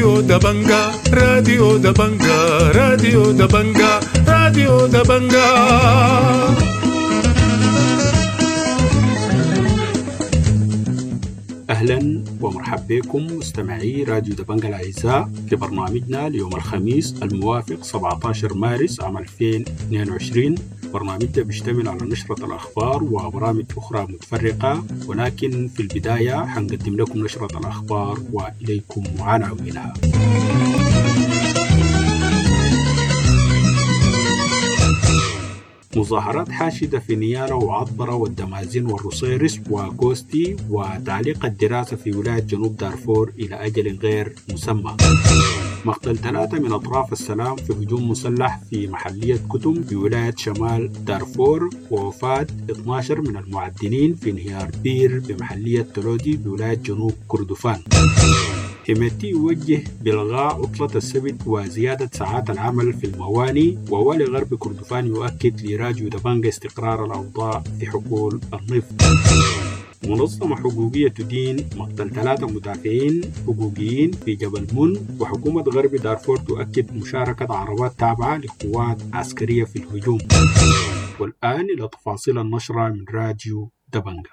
راديو دبنجا، راديو دبنجا، راديو دبنجا، راديو دبنجا. أهلا ومرحبا بكم مستمعي راديو دبنجا الأعزاء في برنامجنا ليوم الخميس الموافق 17 مارس عام 2022. برنامجنا بيشتمل على نشرة الأخبار وبرامج أخرى متفرقة، ولكن في البداية حنقدم لكم نشرة الأخبار وإليكم عناوينها. مظاهرات حاشدة في نيالا وعطبرة والدمازين والرصيرس وكوستي، وتعليق الدراسة في ولاية جنوب دارفور إلى أجل غير مسمى. مقتل 3 من أطراف السلام في هجوم مسلح في محلية كتم بولاية شمال دارفور، ووفاة 12 من المعدنين في انهيار بير بمحلية تلودي بولاية جنوب كردفان. حميدتي يوجه بإلغاء عطلة السبت وزيادة ساعات العمل في المواني، ووالي غرب كردفان يؤكد لراديو دبنجا استقرار الأوضاع في حقول النفط. منظمة حقوقية تدين مقتل 3 مدافعين حقوقيين في جبل من، وحكومة غرب دارفور تؤكد مشاركة عربات تابعة لقوات عسكرية في الهجوم. والآن إلى تفاصيل النشرة من راديو دبنجا.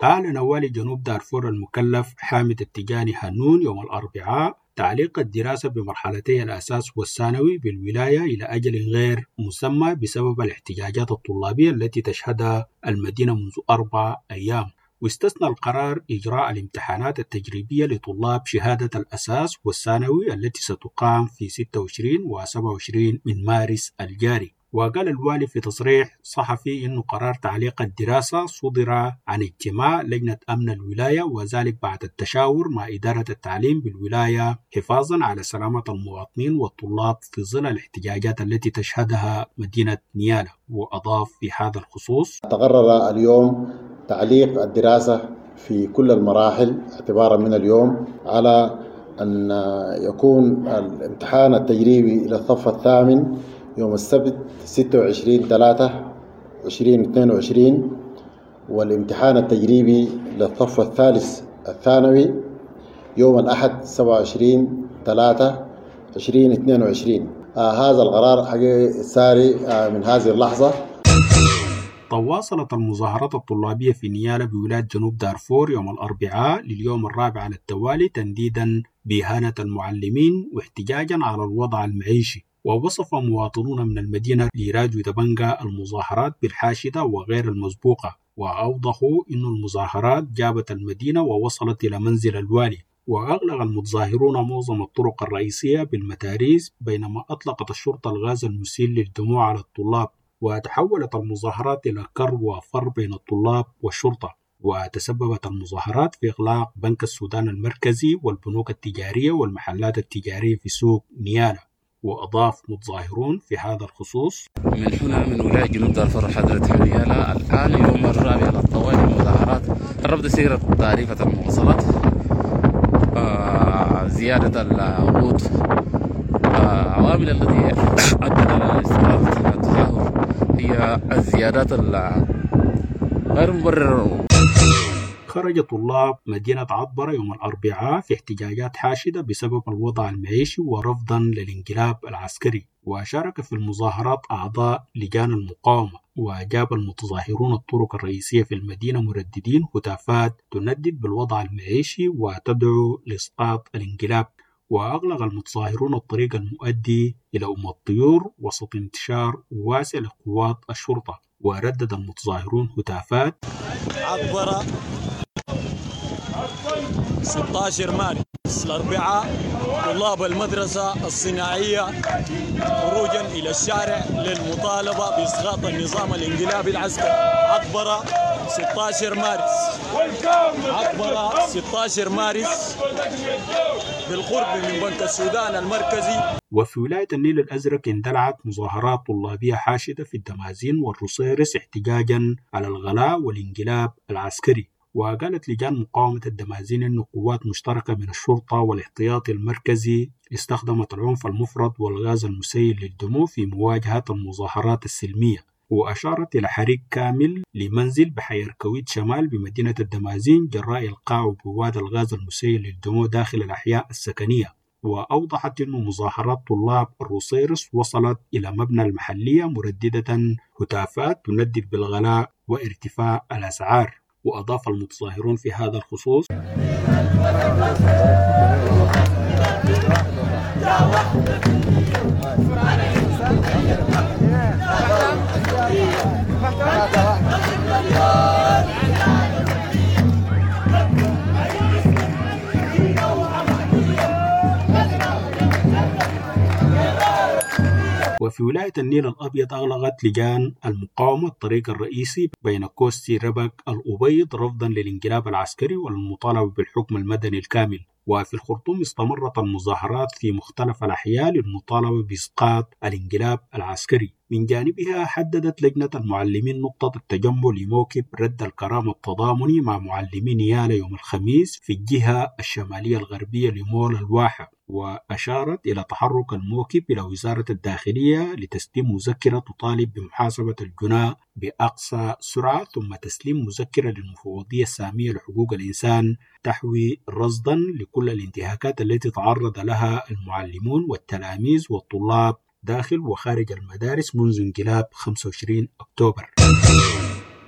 أعلن والي جنوب دارفور المكلف حامد التجاني هنون يوم الأربعاء تعليق الدراسة بمرحلتي الأساس والثانوي بالولاية إلى أجل غير مسمى بسبب الاحتجاجات الطلابية التي تشهدها المدينة منذ 4 أيام. واستثنى القرار إجراء الامتحانات التجريبية لطلاب شهادة الأساس والثانوي التي ستقام في 26 و 27 من مارس الجاري. وقال الوالي في تصريح صحفي إنه قرار تعليق الدراسة صدر عن اجتماع لجنة أمن الولاية، وذلك بعد التشاور مع إدارة التعليم بالولاية حفاظا على سلامة المواطنين والطلاب في ظل الاحتجاجات التي تشهدها مدينة نيالا. وأضاف في هذا الخصوص: تقرر اليوم تعليق الدراسة في كل المراحل اعتبارا من اليوم، على أن يكون الامتحان التجريبي إلى الصف الثامن يوم السبت 26/3/2022، والامتحان التجريبي للصف الثالث الثانوي يوم الأحد 27/3/2022. هذا القرار حقيقي ساري من هذه اللحظة. تواصلت المظاهرات الطلابية في نيالا بولاية جنوب دارفور يوم الأربعاء لليوم الرابع على التوالي تنديدا بإهانة المعلمين واحتجاجا على الوضع المعيشي. ووصف مواطنون من المدينة لراديو دبنجا المظاهرات بالحاشدة وغير المسبوقة، وأوضحوا أن المظاهرات جابت المدينة ووصلت إلى منزل الوالي. وأغلق المتظاهرون معظم الطرق الرئيسية بالمتاريس، بينما أطلقت الشرطة الغاز المسيل للدموع على الطلاب. وتحولت المظاهرات إلى كر وفر بين الطلاب والشرطة. وتسببت المظاهرات في إغلاق بنك السودان المركزي والبنوك التجارية والمحلات التجارية في سوق نيالا. وأضاف متظاهرون في هذا الخصوص: من هنا من ولاية جنوب دارفور حضرة نيالا الآن يوم الرابع على الطوالي المظاهرات، رفض سيرة تعريفة المواصلات، زيادة العقود، عوامل التي أدت إلى استمرار التظاهر هي الزيادات غير مبررة. خرج طلاب مدينة عطبرة يوم الأربعاء في احتجاجات حاشدة بسبب الوضع المعيشي ورفضا للانقلاب العسكري، وشارك في المظاهرات أعضاء لجان المقاومة. وأجاب المتظاهرون الطرق الرئيسية في المدينة مرددين هتافات تندد بالوضع المعيشي وتدعو لإسقاط الانقلاب. وأغلق المتظاهرون الطريق المؤدي إلى أم الطيور وسط انتشار واسع لقوات الشرطة. وردد المتظاهرون هتافات: عطبرة 16 مارس الأربعاء، طلاب المدرسة الصناعية خروجا إلى الشارع للمطالبة بإسقاط النظام الانقلابي العسكري. عطبرة 16 مارس، عطبرة 16 مارس بالقرب من بنك السودان المركزي. وفي ولاية النيل الأزرق اندلعت مظاهرات طلابية حاشدة في الدمازين والرصيرس احتجاجا على الغلاء والانقلاب العسكري. وقالت لجان مقاومة الدمازين أن قوات مشتركة من الشرطة والاحتياطي المركزي استخدمت العنف المفرط والغاز المسيل للدموع في مواجهة المظاهرات السلمية. وأشارت إلى حريق كامل لمنزل بحي الكويت شمال بمدينة الدمازين جراء إلقاء بواد الغاز المسيل للدموع داخل الأحياء السكنية. وأوضحت أن مظاهرات طلاب الروصيرص وصلت إلى مبنى المحلية مرددة هتافات تندد بالغلاء وارتفاع الأسعار. وأضاف المتظاهرون في هذا الخصوص: وفي ولاية النيل الأبيض أغلقت لجان المقاومة الطريق الرئيسي بين كوستي ربك الأبيض رفضا للانقلاب العسكري والمطالبة بالحكم المدني الكامل. وفي الخرطوم استمرت المظاهرات في مختلف الأحياء للمطالبة بإسقاط الانقلاب العسكري. من جانبها حددت لجنة المعلمين نقطة التجمع لموكب رد الكرامة التضامني مع معلمي نيالا يوم الخميس في الجهة الشمالية الغربية لمول الواحة. وأشارت إلى تحرك الموكب إلى وزارة الداخلية لتسليم مذكرة تطالب بمحاسبة الجناة بأقصى سرعة، ثم تسليم مذكرة للمفوضية السامية لحقوق الإنسان تحوي رصدا لكل الانتهاكات التي تعرض لها المعلمون والتلاميذ والطلاب داخل وخارج المدارس منذ انقلاب 25 أكتوبر.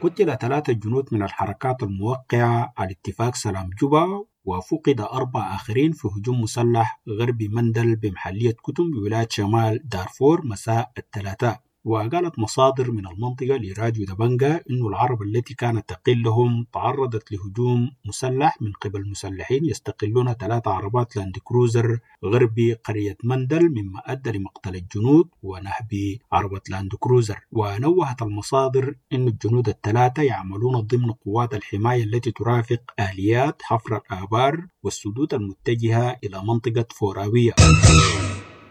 قتل 3 جنود من الحركات الموقعة على اتفاق سلام جوبا، وفقد 4 آخرين في هجوم مسلح غربي مندل بمحلية كتم بولاية شمال دارفور مساء الثلاثاء. وقالت مصادر من المنطقة لراديو دبنجا إنه العرب التي كانت تقلهم تعرضت لهجوم مسلح من قبل مسلحين يستقلون 3 عربات لاند كروزر غربي قرية مندل، مما أدى لمقتل الجنود ونهب عربة لاند كروزر. ونوهت المصادر إن الجنود 3 يعملون ضمن قوات الحماية التي ترافق آليات حفر الآبار والسدود المتجهة إلى منطقة فوراوية.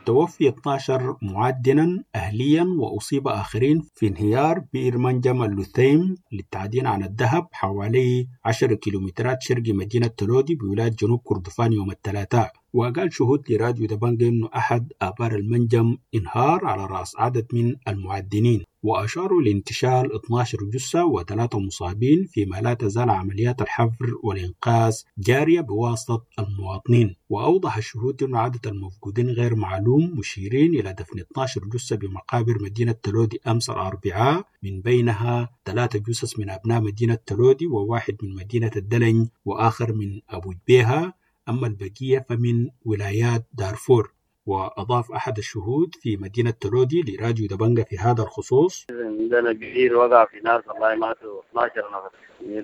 توفي 12 معدنا أهليا وأصيب آخرين في انهيار بئر منجم اللثيم للتعدين عن الذهب حوالي 10 كيلومترات شرق مدينة تلودي بولاية جنوب كردفان يوم الثلاثاء. وقال شهود لراديو دبنجا أنه أحد آبار المنجم انهار على رأس عدد من المعدنين، وأشاروا لانتشال 12 جثة و3 مصابين، فيما لا تزال عمليات الحفر والإنقاذ جارية بواسطة المواطنين. وأوضح الشهود أن عدد المفقودين غير معلوم، مشيرين إلى دفن 12 جثة بمقابر مدينة تلودي أمس الأربعاء، من بينها 3 جثث من أبناء مدينة تلودي وواحد من مدينة الدلنج وآخر من أبو جبيهة، أما البقية فمن ولايات دارفور. وأضاف أحد الشهود في مدينة تلودي لراديو دبنجا في هذا الخصوص: عندنا كثير وقع في ناس والله ماتوا 12 نفر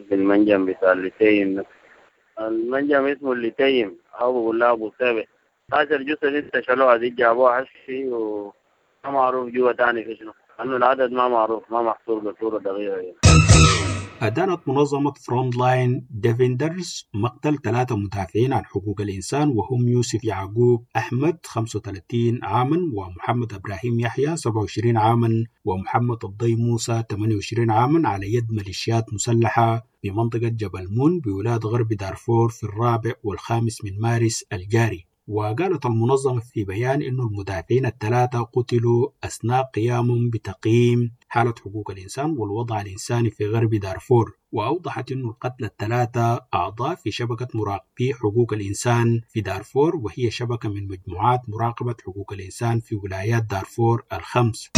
في المنجم بتاع الليتيم، المنجم اسمه الليتيم أو بقول له أبو سابع. 12 جثة لسه شالوها دي جابوها حشي وما معروف جوا تاني في شنو، لأنه العدد ما معروف ما محصور بصورة دقيقة يعني. أدانت منظمة فرونت لاين ديفندرز مقتل 3 مدافعين عن حقوق الإنسان، وهم يوسف يعقوب أحمد 35 عاما، ومحمد إبراهيم يحيى 27 عاما، ومحمد الضي موسى 28 عاما، على يد ميليشيات مسلحة بمنطقة جبل مون بولاية غرب دارفور في 4 و5 من مارس الجاري. وقالت المنظمة في بيان إنه المدافعين 3 قتلوا أثناء قيامهم بتقييم حالة حقوق الإنسان والوضع الإنساني في غرب دارفور. وأوضحت إنه القتلى 3 أعضاء في شبكة مراقبي حقوق الإنسان في دارفور، وهي شبكة من مجموعات مراقبة حقوق الإنسان في ولايات دارفور 5.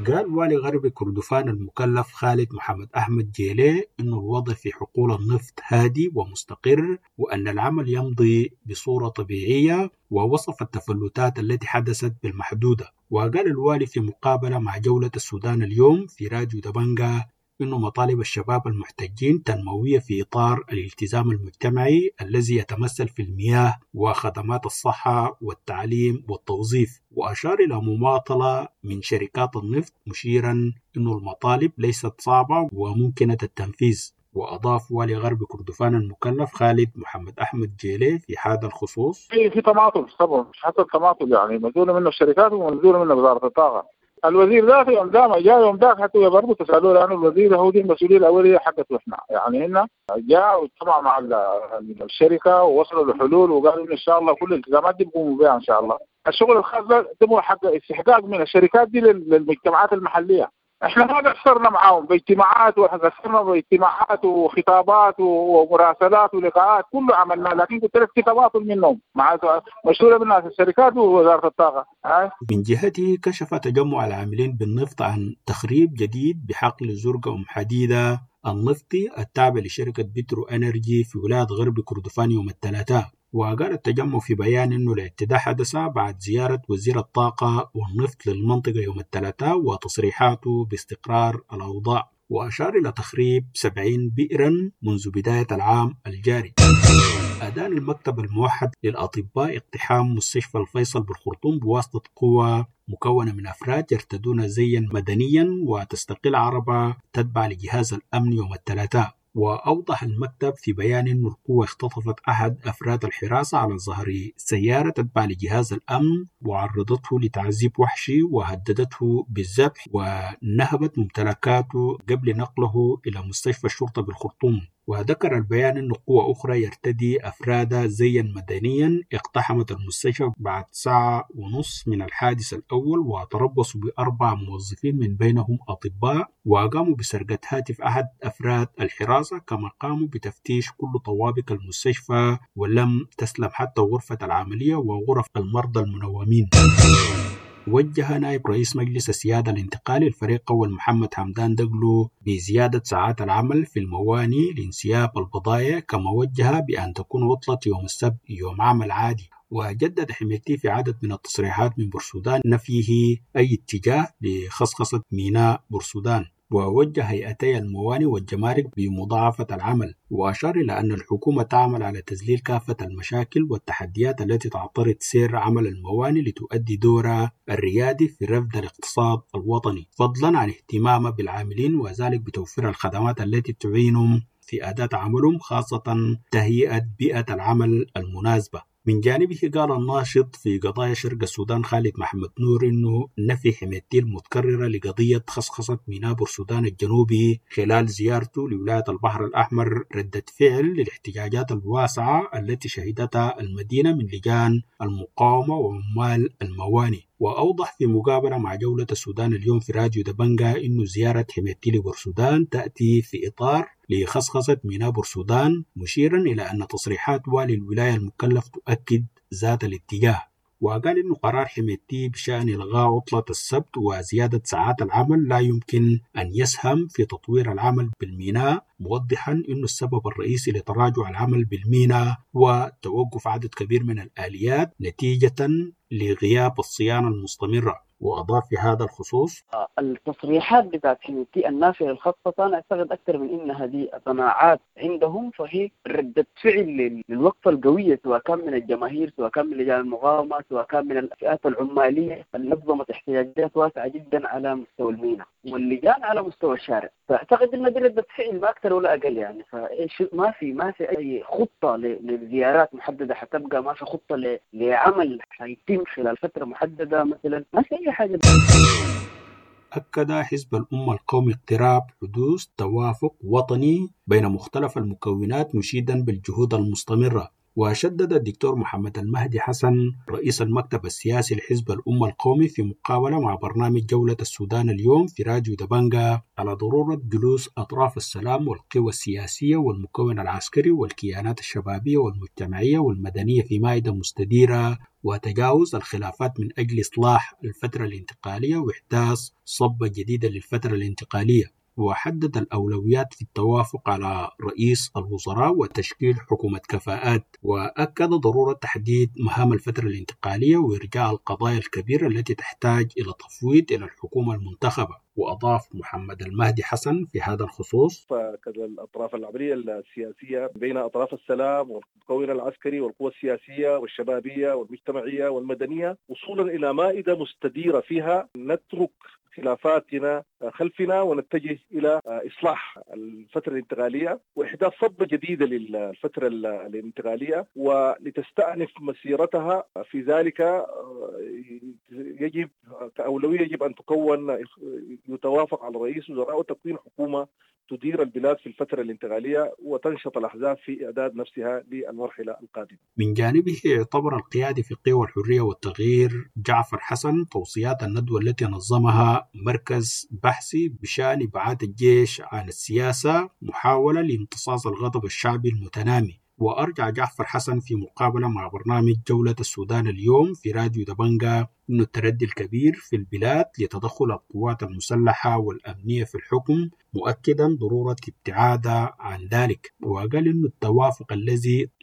قال والي غرب كردفان المكلف خالد محمد أحمد جيلي إنه الوضع في حقول النفط هادي ومستقر، وأن العمل يمضي بصورة طبيعية، ووصف التفلتات التي حدثت بالمحدودة. وقال الوالي في مقابلة مع جولة السودان اليوم في راديو دبنجا إنه مطالب الشباب المحتجين تنموية في إطار الالتزام المجتمعي الذي يتمثل في المياه وخدمات الصحة والتعليم والتوظيف، وأشار إلى مماطلة من شركات النفط، مشيرا إنه المطالب ليست صعبة وممكنة التنفيذ. وأضاف والي غرب كردفان المكلف خالد محمد أحمد جيلي في هذا الخصوص: في تماطل طبعا، حصل تماطل يعني مزولة منه الشركات ومزولة منه وزارة الطاقة. الوزير ذاته يوم دام جاء يوم ذاك حتى برضه تسالوه، لانه الوزير هو دي المسؤوليه الاوليه حقته احنا يعني. هنا جاء واجتمع مع الشركه ووصلوا لحلول وقالوا ان شاء الله كل الالتزامات دي بيقوموا بها ان شاء الله. الشغل الخاص ده هو حق استحقاق من الشركات دي للمجتمعات المحليه. احنا ما قصرنا معاهم باجتماعات، وقصرنا باجتماعات وخطابات ومراسلات ولقاءات كله عملنا، لكن قلت لك في تواصل منهم مع مشهورة من الشركات ووزارة الطاقة. من جهته كشف تجمع العاملين بالنفط عن تخريب جديد بحقل زرقاء أم حديدة النفطي التابع لشركة بترو انرجي في ولاية غرب كردفان يوم الثلاثاء. وقال التجمع في بيان أنه الاعتداء حدث بعد زيارة وزير الطاقة والنفط للمنطقة يوم الثلاثاء وتصريحاته باستقرار الأوضاع، وأشار إلى تخريب 70 بئرا منذ بداية العام الجاري. أدان المكتب الموحد للأطباء اقتحام مستشفى الفيصل بالخرطوم بواسطة قوى مكونة من أفراد يرتدون زيا مدنيا وتستقل عربة تتبع لجهاز الأمن يوم الثلاثاء. وأوضح المكتب في بيان أن القوة اختطفت أحد أفراد الحراسة على ظهر سيارة تتبع لجهاز الأمن وعرضته لتعذيب وحشي وهددته بالذبح ونهبت ممتلكاته قبل نقله إلى مستشفى الشرطة بالخرطوم. وذكر البيان أن قوة أخرى يرتدي أفراد زيا مدنيا اقتحمت المستشفى بعد 1.5 ساعة من الحادث الأول وتربصوا ب4 موظفين من بينهم أطباء، وقاموا بسرقة هاتف أحد أفراد الحراسة، كما قاموا بتفتيش كل طوابق المستشفى ولم تسلم حتى غرفة العملية وغرف المرضى المنومين. وجه نائب رئيس مجلس السيادة الانتقالي الفريق أول محمد حمدان دقلو بزيادة ساعات العمل في المواني لانسياب البضائع، كما وجه بأن تكون عطلة يوم السبت يوم عمل عادي. وجدد حميدتي في عدد من التصريحات من بورسودان نفيه أي اتجاه لخصخصة ميناء بورسودان، ووجه هيئتي المواني والجمارك بمضاعفة العمل، وأشار إلى أن الحكومة تعمل على تذليل كافة المشاكل والتحديات التي تعترض سير عمل المواني لتؤدي دورها الريادي في رفد الاقتصاد الوطني، فضلا عن اهتمامها بالعاملين وذلك بتوفير الخدمات التي تعينهم في أداة عملهم، خاصة تهيئة بيئة العمل المناسبة. من جانبه قال الناشط في قضايا شرق السودان خالد محمد نور إنه نفي حميدتي المتكررة لقضية خصخصة ميناء بورسودان الجنوبي خلال زيارته لولاية البحر الأحمر ردة فعل للاحتجاجات الواسعة التي شهدتها المدينة من لجان المقاومة وعمال المواني. وأوضح في مقابلة مع جولة السودان اليوم في راديو دبنجا إنه زيارة حميدتي لبورسودان تأتي في إطار لخصخصة ميناء بورسودان، مشيرا إلى أن تصريحات والي الولاية المكلف تؤكد ذات الاتجاه. وقال إنه قرار حميدتي بشأن إلغاء عطلة السبت وزيادة ساعات العمل لا يمكن أن يسهم في تطوير العمل بالميناء، موضحا إنه السبب الرئيسي لتراجع العمل بالميناء هو توقف عدد كبير من الآليات نتيجة لغياب الصيانة المستمرة. وأضاف في هذا الخصوص: التصريحات بتاعت حميدتي النافية للخصخصة أنا أعتقد أكثر من إنها دي قناعات عندهم، فهي ردة فعل للوقفة القوية سواء كان من الجماهير، سواء كان من لجان المقاومة، سواء كان من الفئات العمالية اللي نظمت احتجاجات واسعة جدا على مستوى الميناء واللجان على مستوى الشارع. فأعتقد إن دي ردة فعل ما أكثر ولا أقل يعني. فإيش ما في أي خطة لزيارات محددة حتبقى، ما في خطة لعمل حيتم خلال فترة محددة مثلا، ما في أي حاجة. أكد حزب الأمة القومي اقتراب حدوث توافق وطني بين مختلف المكونات مشيدا بالجهود المستمرة. وشدد الدكتور محمد المهدي حسن رئيس المكتب السياسي لحزب الأمة القومي في مقابلة مع برنامج جولة السودان اليوم في راديو دبنجا على ضرورة جلوس أطراف السلام والقوى السياسية والمكون العسكري والكيانات الشبابية والمجتمعية والمدنية في مائدة مستديرة وتجاوز الخلافات من أجل إصلاح الفترة الانتقالية وإحداث صبة جديدة للفترة الانتقالية. وحدد الأولويات في التوافق على رئيس الوزراء وتشكيل حكومة كفاءات، وأكد ضرورة تحديد مهام الفترة الانتقالية وإرجاء القضايا الكبيرة التي تحتاج إلى تفويض إلى الحكومة المنتخبة. وأضاف محمد المهدي حسن في هذا الخصوص: فكذا الأطراف العملية السياسية بين أطراف السلام والمكون العسكري والقوى السياسية والشبابية والمجتمعية والمدنية وصولا إلى مائدة مستديرة فيها نترك خلافاتنا خلفنا ونتجه إلى إصلاح الفترة الانتقالية وإحداث صبة جديدة للفترة الانتقالية ولتستأنف مسيرتها. في ذلك يجب كأولوية يجب أن تكون يتوافق على رئيس وزراء وتكوين حكومة تدير البلاد في الفترة الانتقالية وتنشط الأحزاب في إعداد نفسها للمرحلة القادمة. من جانبه اعتبر القيادي في قوى الحرية والتغيير جعفر حسن توصيات الندوة التي نظمها مركز البحثي بشأن إبعاد الجيش عن السياسة محاولة لامتصاص الغضب الشعبي المتنامي. وأرجع جعفر حسن في مقابلة مع برنامج جولة السودان اليوم في راديو دبنجا أن التردي الكبير في البلاد لتدخل القوات المسلحة والأمنية في الحكم، مؤكدا ضرورة ابتعادها عن ذلك. وقال أن التوافق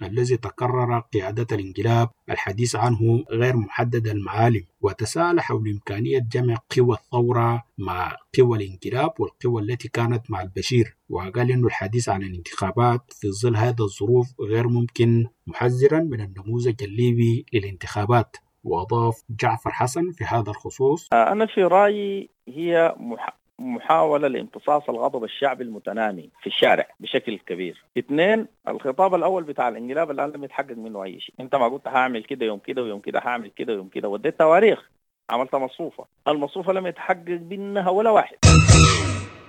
الذي تكرر قيادة الانقلاب الحديث عنه غير محدد المعالم، وتساءل حول إمكانية جمع قوى الثورة مع قوى الانقلاب والقوى التي كانت مع البشير. وقال أن الحديث عن الانتخابات في ظل هذه الظروف غير ممكن، محذرا من النموذج الليبي للانتخابات. وأضاف جعفر حسن في هذا الخصوص: أنا في رأيي هي محاولة لامتصاص الغضب الشعبي المتنامي في الشارع بشكل كبير. 2، الخطاب الأول بتاع الانقلاب الآن لم يتحقق منه أي شيء. أنت ما قلت هعمل كده يوم كده ويوم كده، هعمل كده ويوم كده، وديت تواريخ، عملت مصفوفة، المصفوفة لم يتحقق منها ولا واحد.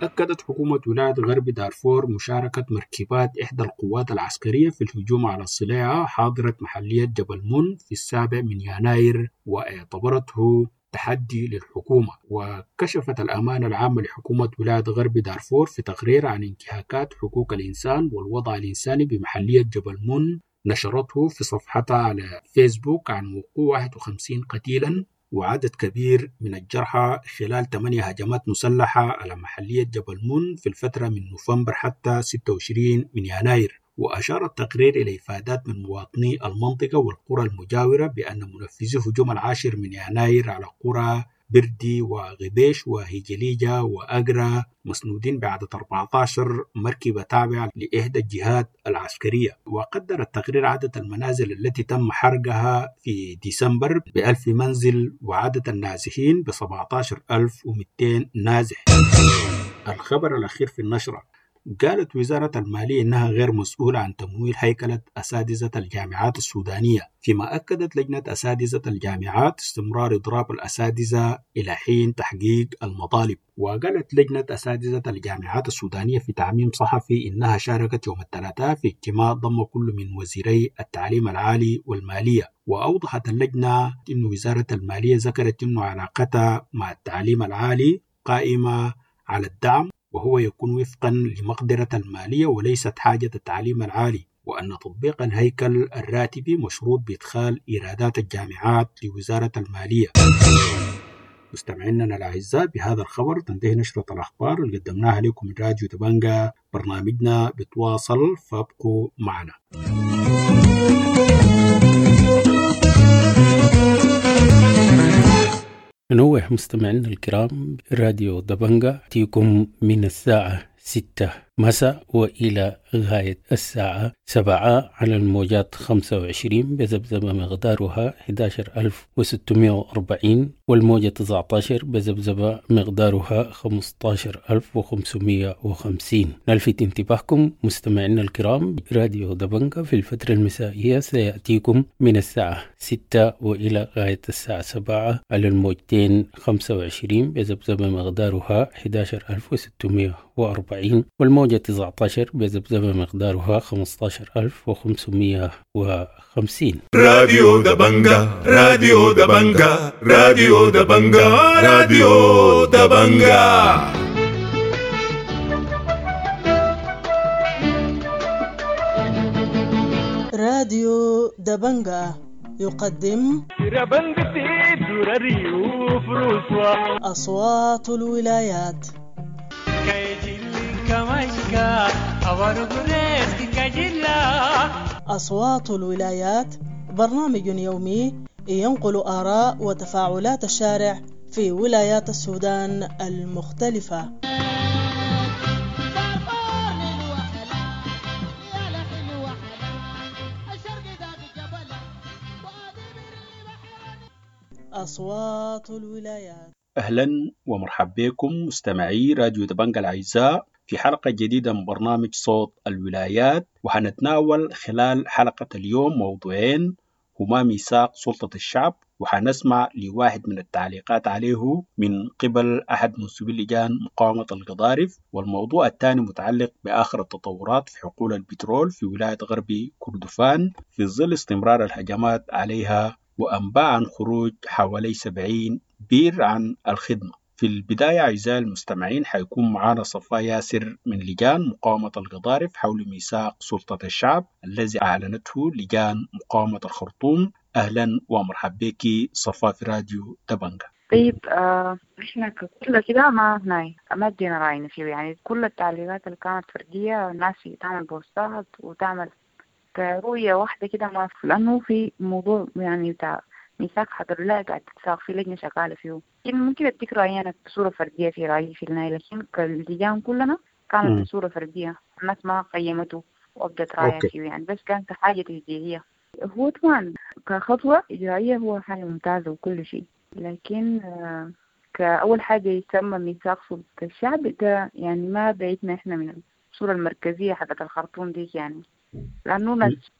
أكدت حكومة ولاية غرب دارفور مشاركة مركبات إحدى القوات العسكرية في الهجوم على الصلاعة حاضرة محلية جبل من في 7 يناير، واعتبرته تحدي للحكومة. وكشفت الأمانة العامة لحكومة ولاية غرب دارفور في تقرير عن انتهاكات حقوق الإنسان والوضع الإنساني بمحلية جبل من نشرته في صفحتها على فيسبوك عن وقوع 51 قتيلا وعدد كبير من الجرحى خلال 8 هجمات مسلحة على محلية جبل من في الفترة من نوفمبر حتى 26 من يناير. وأشار التقرير إلى إفادات من مواطني المنطقة والقرى المجاورة بأن منفذي هجوم 10 من يناير على قرى بردي وغبيش وهجليجة وأجرا مسنودين بعدد 14 مركبة تابعة لإحدى الجهات العسكرية. وقدر التقرير عدد المنازل التي تم حرقها في ديسمبر ب1000 منزل وعدد النازحين ب17,200 نازح. الخبر الأخير في النشرة: قالت وزارة المالية إنها غير مسؤولة عن تمويل هيكلة أساتذة الجامعات السودانية، فيما أكدت لجنة أساتذة الجامعات استمرار إضراب الأساتذة إلى حين تحقيق المطالب. وقالت لجنة أساتذة الجامعات السودانية في تعميم صحفي إنها شاركت يوم الثلاثاء في اجتماع ضم كل من وزيري التعليم العالي والمالية. وأوضحت اللجنة إن وزارة المالية ذكرت إنه علاقتها مع التعليم العالي قائمة على الدعم، وهو يكون وفقا لمقدرة المالية وليست حاجة التعليم العالي، وأن تطبيق الهيكل الراتبي مشروط بإدخال إيرادات الجامعات لوزارة المالية. مستمعينا الأعزاء، بهذا الخبر تنتهي نشرة الأخبار اللي قدمناها لكم من راديو دبنجا. برنامجنا بتواصل، فابقوا معنا. ننوه مستمعينا الكرام، راديو دبنجا تيكم من الساعة 6 مساء وإلى غاية الساعة 7 على الموجات 25 بذبذبة مقدارها 11640، والموجة 19 بذبذبة مقدارها 15550. نلفت انتباهكم مستمعينا الكرام، راديو دبنجا في الفترة المسائية سيأتيكم من الساعة 6 وإلى غاية الساعة 7 على الموجتين 25 بذبذبة مقدارها 11640، والموجة 19 بذبذبة مقدارها 15550. راديو دبنجا، راديو دبنجا، راديو دبنجا، راديو دبنجا. راديو دبنجا يقدم أصوات الولايات. أصوات الولايات برنامج يومي ينقل آراء وتفاعلات الشارع في ولايات السودان المختلفة. أصوات الولايات. أهلا ومرحبا بكم مستمعي راديو دبنجا الأعزاء في حلقة جديدة من برنامج صوت الولايات، وحنتناول خلال حلقة اليوم موضوعين هما ميثاق سلطة الشعب، وحنسمع لواحد من التعليقات عليه من قبل أحد منسوبي لجان مقاومة القضارف، والموضوع الثاني متعلق بآخر التطورات في حقول البترول في ولاية غرب كردفان في ظل استمرار الهجمات عليها وأنباء عن خروج حوالي 70 بير عن الخدمة. في البداية أعزائي المستمعين حيكون معنا صفاء ياسر من لجان مقاومة القضارف حول ميثاق سلطة الشعب الذي أعلنته لجان مقاومة الخرطوم. أهلا ومرحبا بك صفاء في راديو دبنجة. طيب احنا ككل كده ما هناي ما ادينا راينا فيه، يعني كل التعليقات اللي كانت فردية، الناس تعمل بوستات وتعمل كرؤية واحدة كده ما في، لأنه في موضوع يعني بتاع ميثاق حق الولاية قاعد تتساق في لجنة شغالة فيه. ممكن أديك رأيي أنا بصورة فردية في رأيي في النهاية، لكن كاللجان كلنا كانت بصورة فردية، الناس ما قيمته وأبدت رأيها فيه يعني، بس كانت حاجة تشجيعية. هو طبعا كخطوة إجرائية هو حاجة ممتازة وكل شيء، لكن كأول حاجة يسمى ميثاق سلطة الشعب ده يعني ما بعيدنا إحنا من الصورة المركزية حقت الخرطوم ديك يعني، لأنه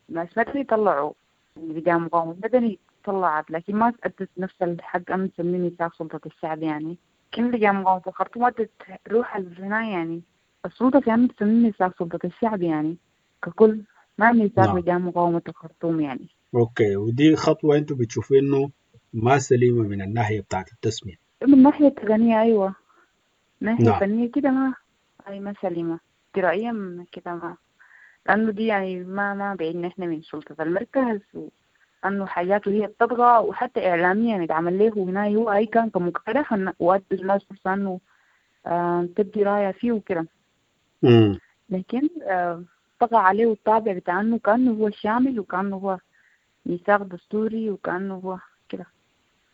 ناس مدني طلعوا لجان مقاومة مدني طلعت، لكن ما أدت نفس الحق أن نسميه ميثاق سلطة الشعب يعني. كل لجان مقاومة الخرطوم أدت روح الهنا يعني السلطة في أن تسميه ميثاق سلطة الشعب يعني ككل، ما ميثاق لجان مقاومة الخرطوم يعني. أوكي، ودي خطوة أنتوا بتشوفوا إنه ما سليمة من الناحية بتاعت التسمية. من الناحية التقنية أيوة، من الناحية الفنية كده ما أي ما سليمة إجرائيا كده ما، لأنه دي يعني ما بعيدنا إحنا من سلطة المركز، وأنه حاجاته هي بتطغى، وحتى إعلاميا اتعمل له هنا هو أي كان كمقترح وأدى الناس فرصة إنه تبدي رايها فيه وكده، لكن طغى عليه الطابع بتاع إنه كأنه هو شامل وكأنه هو ميثاق دستوري وكأنه هو كده.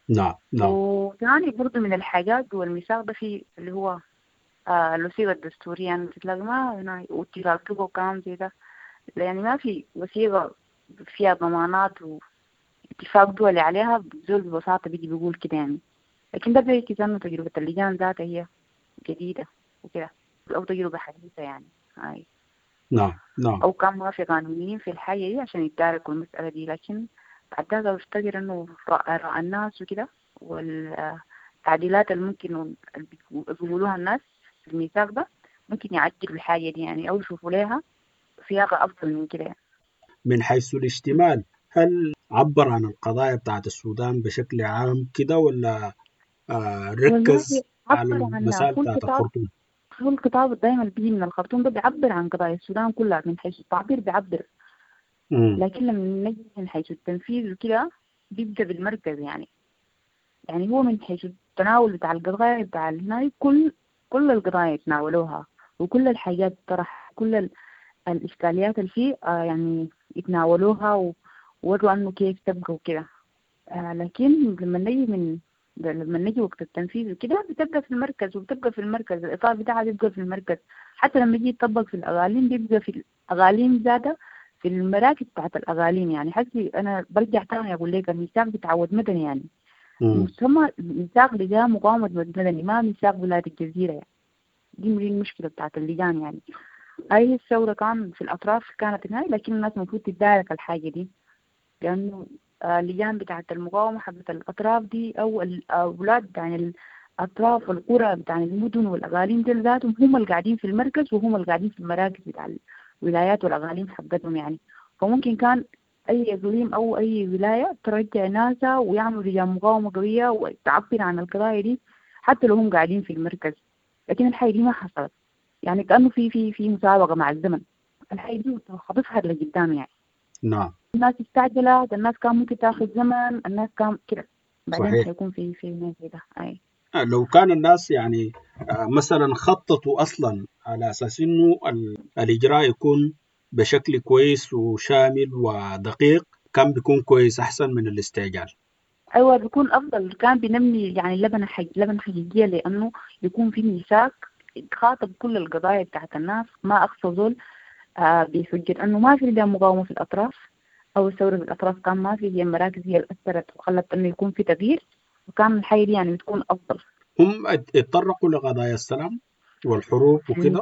نعم نعم. وثاني برضو من الحاجات هو الميثاق ده في اللي هو الوثيقة الدستورية يعني تتلاقي ما هنا واتفاق وكلام زي ده، يعني ما في وثيقة فيها ضمانات واتفاق دولي عليها زول ببساطة بيجي بيقول كده يعني. لكن ده بيعكس إنه تجربة اللجان ذاتها هي جديدة وكده، أو تجربة حديثة يعني. هاي. نعم نعم. أو كان ما في قانونيين في الحاجة دي عشان يتداركوا المسألة دي، لكن بعد ذاك بفتكر إنه رأى الناس وكده والتعديلات اللي ممكن بيقولوها الناس في الميثاق ده ممكن يعدلوا الحاجة دي يعني، أو يشوفوا لها صياغة أفضل من كده يعني. من حيث الاشتمال، هل عبر عن القضايا بتاعت السودان بشكل عام كده ولا ركز على المسائل بتاعت الخرطوم؟ هو الخطاب دايما بيجي من الخرطوم ده بيعبر عن قضايا السودان كلها من حيث التعبير بيعبر، لكن لما نجي من حيث التنفيذ وكده بيبدأ بالمركز يعني. يعني هو من حيث التناول بتاع القضايا بتاع هنا كل القضايا يتناولوها، وكل الحاجات طرح، كل الإشكاليات اللي فيه يعني يتناولوها ووروا أنه كيف تبقى وكده. لكن لما نجي وقت التنفيذ وكده بتبقى في المركز، وبتبقى في المركز الإطار بتاعها بيبقى في المركز، حتى لما يجي يطبق في الأغاليم بيبقى في الأغاليم ذاتها في المراكز بتاعت الأغاليم يعني. حسي أنا برجع تاني أقول لك الميثاق بتعود مدني يعني، ثم ميثاق لجان مقاومة مدني، ما ميثاق ولاية الجزيرة يعني. دي المشكلة بتاعت اللجان يعني. هاي الثورة كان في الأطراف كانت هاي، لكن الناس المفروض تتدارك الحاجة دي، لأنه اللجان بتاعت المقاومة حقت الأطراف دي أو الأولاد يعني الأطراف والقرى بتاع المدن والأغاليم دي ذاتهم هم اللي قاعدين في المركز وهم اللي قاعدين في المراكز بتاع الولايات والأغاليم حقتهم يعني. فممكن كان أي إقليم أو أي ولاية ترجع ناسها ويعملوا لجان مقاومة قوية وتعبر عن القضايا دي حتى لو هم قاعدين في المركز، لكن الحاجة دي ما حصلت يعني، كأنه في في في مسابقة مع الزمن، الحاجة دي حتظهر لقدام يعني. نعم. الناس استعجلت، الناس كان ممكن تاخذ زمن، الناس كان كده بعدين حيكون في كده. أي لو كان الناس يعني مثلا خططوا اصلا على اساس انه الاجراء يكون بشكل كويس وشامل ودقيق كان بيكون كويس احسن من الاستعجال. ايوه بيكون افضل، كان بنمي يعني لبنه حقيقيه، لانه يكون في ميثاق يخاطب كل القضايا بتاعت الناس، ما اقصى زول بحجه انه ما في لجان مقاومه في الاطراف او الثوره في الاطراف، كان ما في، هي المراكز هي اللي اثرت وخلت انه يكون في تغيير، وكان الحي دي يعني بتكون افضل. هم اتطرقوا لقضايا السلام والحروب وكده،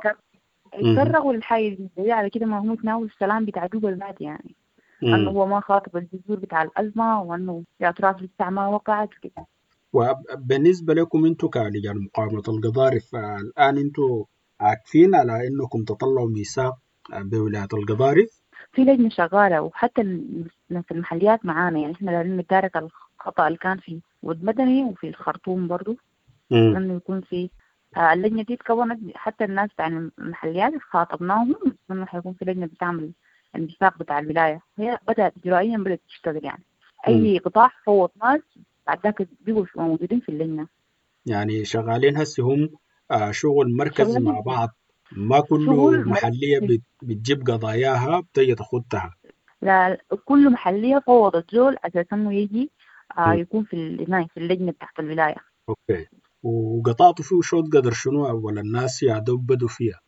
اتطرقوا للحي دي على كده، ما هم تناولوا السلام بتاع جوبا ذات يعني، انه هو ما خاطب الجذور بتاع الازمه، وانه في اطراف لسه ما وقعت وكده. وبالنسبه لكم انتم كلجان مقاومه القضارف الان انتم عاكفين على انكم تطلعوا ميثاق بولايه القضارف؟ في لجنه شغاله، وحتى في المحليات معانا يعني، احنا دايرين نتدارك الخطا اللي كان في ود مدني وفي الخرطوم برضو. انه يكون في اللجنة دي اتكونت، حتى الناس بتاع المحليات خاطبناهم انه حيكون في لجنة بتعمل الميثاق بتاع الولاية. هي بدأت إجرائيا، بدأت تشتغل يعني. أي قطاع فوض ناس بعد ذاك بيبقوا موجودين في اللجنة. يعني شغالين هسه هم شغل مركزي مع شغالين بعض، ما كله شغل محلية مركزي. بتجيب قضاياها بتجي تاخدها. لا، كل محلية فوضت زول أساس إنه يجي يكون في في اللجنة بتاعت الولاية. okay، وقطعتوا فيه شوط قدر شنو ولا الناس يا دوب بدوا فيها؟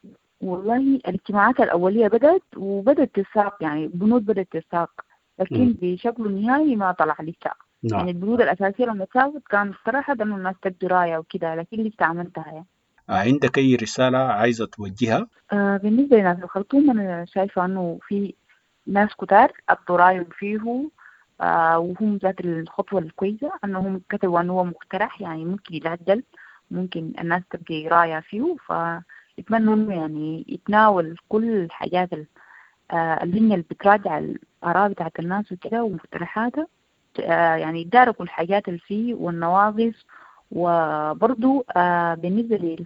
والله الاجتماعات الأولية بدأت، وبدأت تساق يعني البنود بدأت تساق، لكن بشكل نهائي ما طلع لسه. يعني البنود الأساسية لما اتساقت كان صراحة إنه الناس تبدي راية وكده، لكن لسه عملتها يعني. عندك أي رسالة عايزة توجهها؟ بالنسبة لناس الخرطوم أنا شايفة إنه في ناس كتار أبدوا رايهم فيه، وهم ذات الخطوة الكويسة أنهم كتبوا أنه هو مقترح، يعني ممكن يتعدل، ممكن الناس تبقي راية فيه. فأتمنى إنه يعني يتناول كل الحاجات اللجنة اللي بتراجع الآراء بتاعت الناس وكده ومقترحاتها، يعني يتداركوا الحاجات اللي فيه والنواقص. وبرضو بالنسبة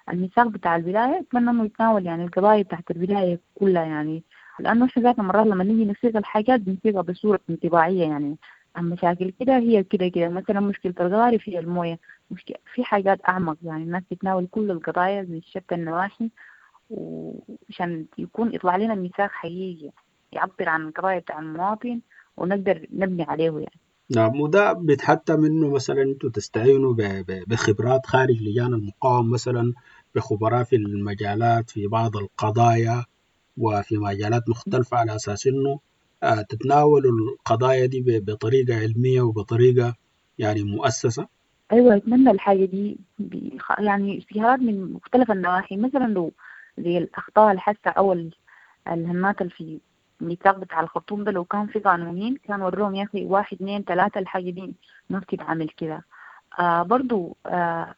للميثاق بتاع الولاية أتمنى إنه يتناول يعني القضايا بتاعت الولاية كلها، يعني لأنه إحنا ذاتنا مرات لما نيجي نصيغ الحاجات بنصيغها بصورة انطباعية، يعني عن مشاكل كده هي كده كده، مثلا مشكلة الغارف هي الموية، مشكلة في حاجات أعمق، يعني الناس تتناول كل القضايا من شتى النواحي، وعشان يكون يطلع لنا ميثاق حقيقي يعبر عن القضايا بتاع المواطن ونقدر نبني عليه يعني. نعم، وده بيتحتم منه مثلا انتوا تستعينوا بخبرات خارج لجان المقاومة، مثلا بخبراء في المجالات في بعض القضايا وفي مجالات مختلفة، على أساس إنه تتناولوا القضايا دي بطريقة علمية وبطريقة يعني مؤسسة. أيوة، أتمنى الحاجة دي يعني استشارات من مختلف النواحي، مثلا لو زي الأخطاء الحاسة أو الهمات اللي في الميثاق بتاع الخرطوم ده، لو كان في قانونيين كان وروهم يا أخي 1 2 3 الحاجة دي ما بتتعمل كده. برضو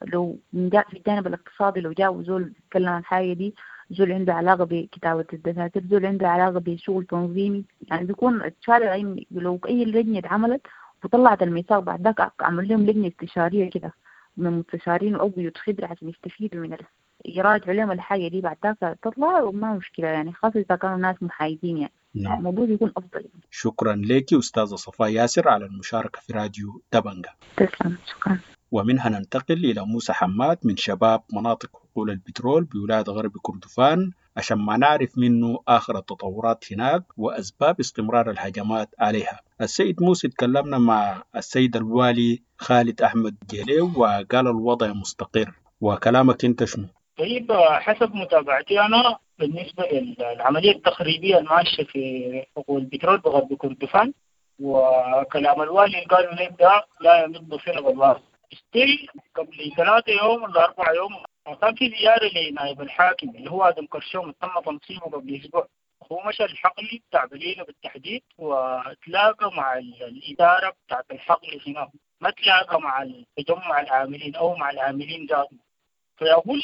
لو في الجانب الاقتصادي لو جاء زول يتكلم عن الحاجة دي، زول عنده علاقة بكتابة الدفاتر، زول عنده علاقة بشغل تنظيمي، يعني بيكون الشارع لو أي لجنة اتعملت وطلعت الميثاق بعد ذاك عمل لهم لجنة استشارية كده من مستشارين أو بيوت خبرة عشان يستفيدوا من يراجعوا لهم الحاجة دي بعد ذاك تطلع، وما مشكلة يعني، خاصة إذا كانوا ناس محايدين يعني. نعم. الموضوع يكون أفضل. شكرا لك أستاذة صفاء ياسر على المشاركة في راديو دبنجة. تسلم، شكرا. ومنها ننتقل إلى موسى حماد من شباب مناطق حقول البترول بولاية غرب كردفان، عشان ما نعرف منه آخر التطورات هناك وأسباب استمرار الهجمات عليها. السيد موسى تكلمنا مع السيد الوالي خالد أحمد جيلي وقال الوضع مستقر، وكلامك أنت شنو؟ طيب، حسب متابعتي أنا بالنسبة للعملية التخريبية الماشية في حقول البترول بغرب كردفان، وكلام الوالي اللي قالوا لي ده لا يمد بصلة بالله. still قبل 3 يوم ولا 4 يوم كان في زيارة لنائب الحاكم اللي هو آدم كرشوم، تم تنصيبه قبل أسبوع. هو مشى الحقل بتاع بليلة بالتحديد وتلاقى مع الإدارة بتاعت الحقل هناك، ما تلاقى مع التجمع العاملين أو مع العاملين ذاتهم. فيقول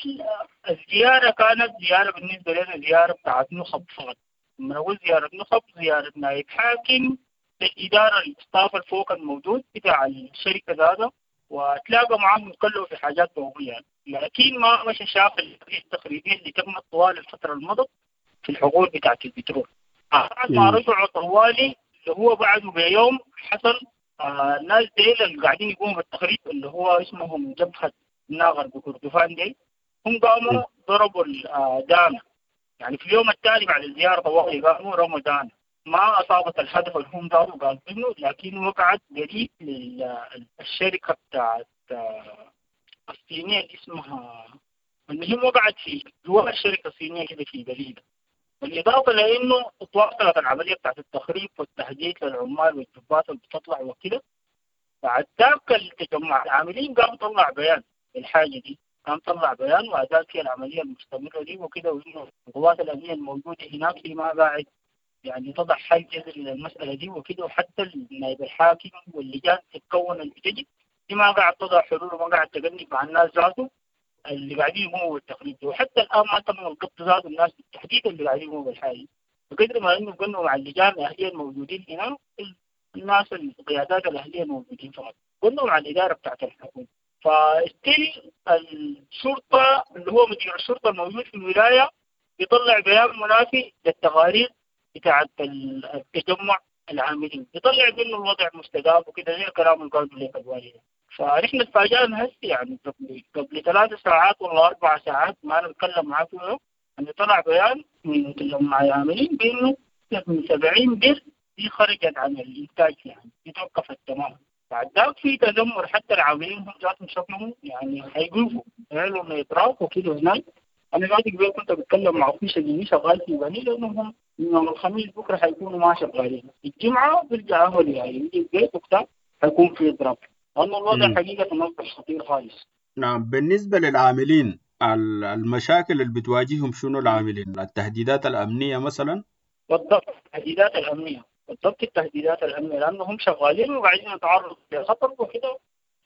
الزيارة كانت زيارة بالنسبة لنا زيارة بتاعت نخب فقط. لما نقول زيارة نخب، زيارة نائب حاكم للإدارة الستاف الفوق الموجود بتاع الشركة ذاته، وتلاقى معاهم وتكلموا في حاجات ضرورية، لكن ما مشى شاف التخريبية اللي تمت طوال الفترة المضت في الحقول بتاعت البترول. بعد ما رجعوا طوالي اللي هو بعده بيوم حصل الناس ديل اللي قاعدين يقوموا بالتخريب اللي هو اسمهم جبهة ناغر بكردفان دي، هم قاموا ضربوا الدانة. يعني في اليوم التالي بعد الزيارة طوالي قاموا رموا دانة، ما أصابت الهدف اللي هم ضربوا قاصدينه، لكن وقعت قريب للشركة بتاعت الصينية اللي اسمها، المهم وقعت في جوا الشركة الصينية كده في بليدة. بالإضافة لأنه تواصلت العملية بتاعت التخريب والتهديد للعمال والجبات اللي بتطلع وكده. بعد ذاك التجمع العاملين قام طلع بيان الحاجة دي، قام طلع بيان وأداء فيها العملية المستمرة دي وكده، وإنه القوات الأمنية الموجودة هناك هي ما قاعد يعني تضع حل جذري للمسألة دي وكده، وحتى النائب الحاكم واللجان تتكون اللي بتجي دي ما قاعد تضع حلول وما قاعد تقنب مع الناس ذاته اللي قاعدين يقوموا بالتخريب ده، وحتى الآن ما تم القبض ذاته الناس بالتحديد اللي قاعدين يقوموا بالحاجة. بقدر ما إنه قلنا مع اللجان الأهلية الموجودين هنا، الناس القيادات الأهلية الموجودين فقط، قلنا مع الإدارة بتاعت الحكومة. ف still الشرطة اللي هو مدير الشرطة الموجود في الولاية بيطلع بيان منافي للتقارير بتاعت التجمع العاملين، بيطلع بانه الوضع مستدام وكده زي الكلام اللي قالوا لك الوالي ده. فنحن اتفاجئنا هسه يعني قبل 3 ساعات ولا 4 ساعات ما انا بتكلم معاه فيه، انه طلع بيان من تجمع العاملين بانه من 70 بير دي خرجت عن الانتاج، يعني دي توقفت تماما. بعد ذاك في تذمر حتى العاملين هم ذاتهم شكلهم يعني حيقوفوا يعملوا انه اضراب وكده هناك. انا ذاتي قبل كنت بتكلم مع اخوي شقيقي شغال في بني، لانهم يوم الخميس بكره حيكونوا ما شغالين، الجمعة بيرجع اهلي يعني يجي البيت وبتاع حيكون في اضراب، لانه الوضع حقيقة اصبح خطير خالص. نعم، بالنسبة للعاملين المشاكل اللي بتواجههم شنو العاملين؟ التهديدات الامنية مثلا؟ بالضبط التهديدات الامنية، بالضبط التهديدات الامنية، لانهم شغالين وقاعدين يتعرضوا لخطر وكده،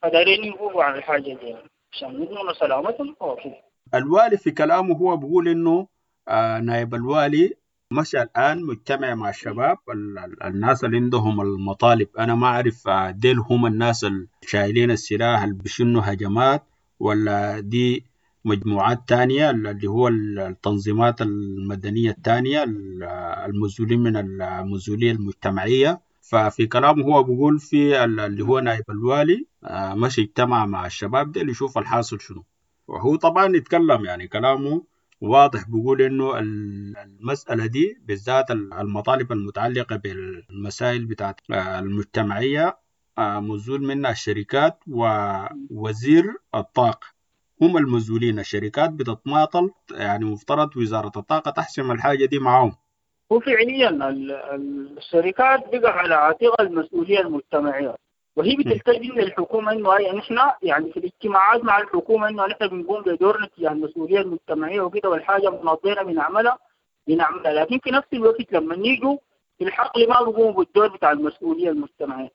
فدايرين يقولوا عن الحاجة دي يعني عشان يضمنوا سلامتهم وكده. الوالي في كلامه هو بيقول انه نائب الوالي مشى الان مجتمع مع الشباب الناس اللي عندهم المطالب. انا ما اعرف ديل هم الناس اللي شايلين السلاح اللي بيشنوا هجمات، ولا دي مجموعات تانية اللي هو التنظيمات المدنية التانية المزولين من المزولية المجتمعية. ففي كلامه هو بيقول في اللي هو نائب الوالي مشي اجتمع مع الشباب ديل يشوف الحاصل شنو. وهو طبعا يتكلم يعني كلامه واضح، بيقول انه المسألة دي بالذات المطالب المتعلقة بالمسائل بتاعت المجتمعية مزول منها الشركات ووزير الطاقة هم المزولين. الشركات بتتماطل، يعني مفترض وزارة الطاقة تحسم الحاجة دي معهم. هو فعليا الشركات بقى على عاتقها المسؤولية المجتمعية، وهي بتلتزم للحكومة انه هي نحن يعني في الاجتماعات مع الحكومة انه نحن بنقوم بدورنا تجاه المسؤولية المجتمعية وكده، والحاجة مناطينا بنعملها، لكن في نفس الوقت لما يجوا في الحقل ما بيقوموا بالدور بتاع المسؤولية المجتمعية.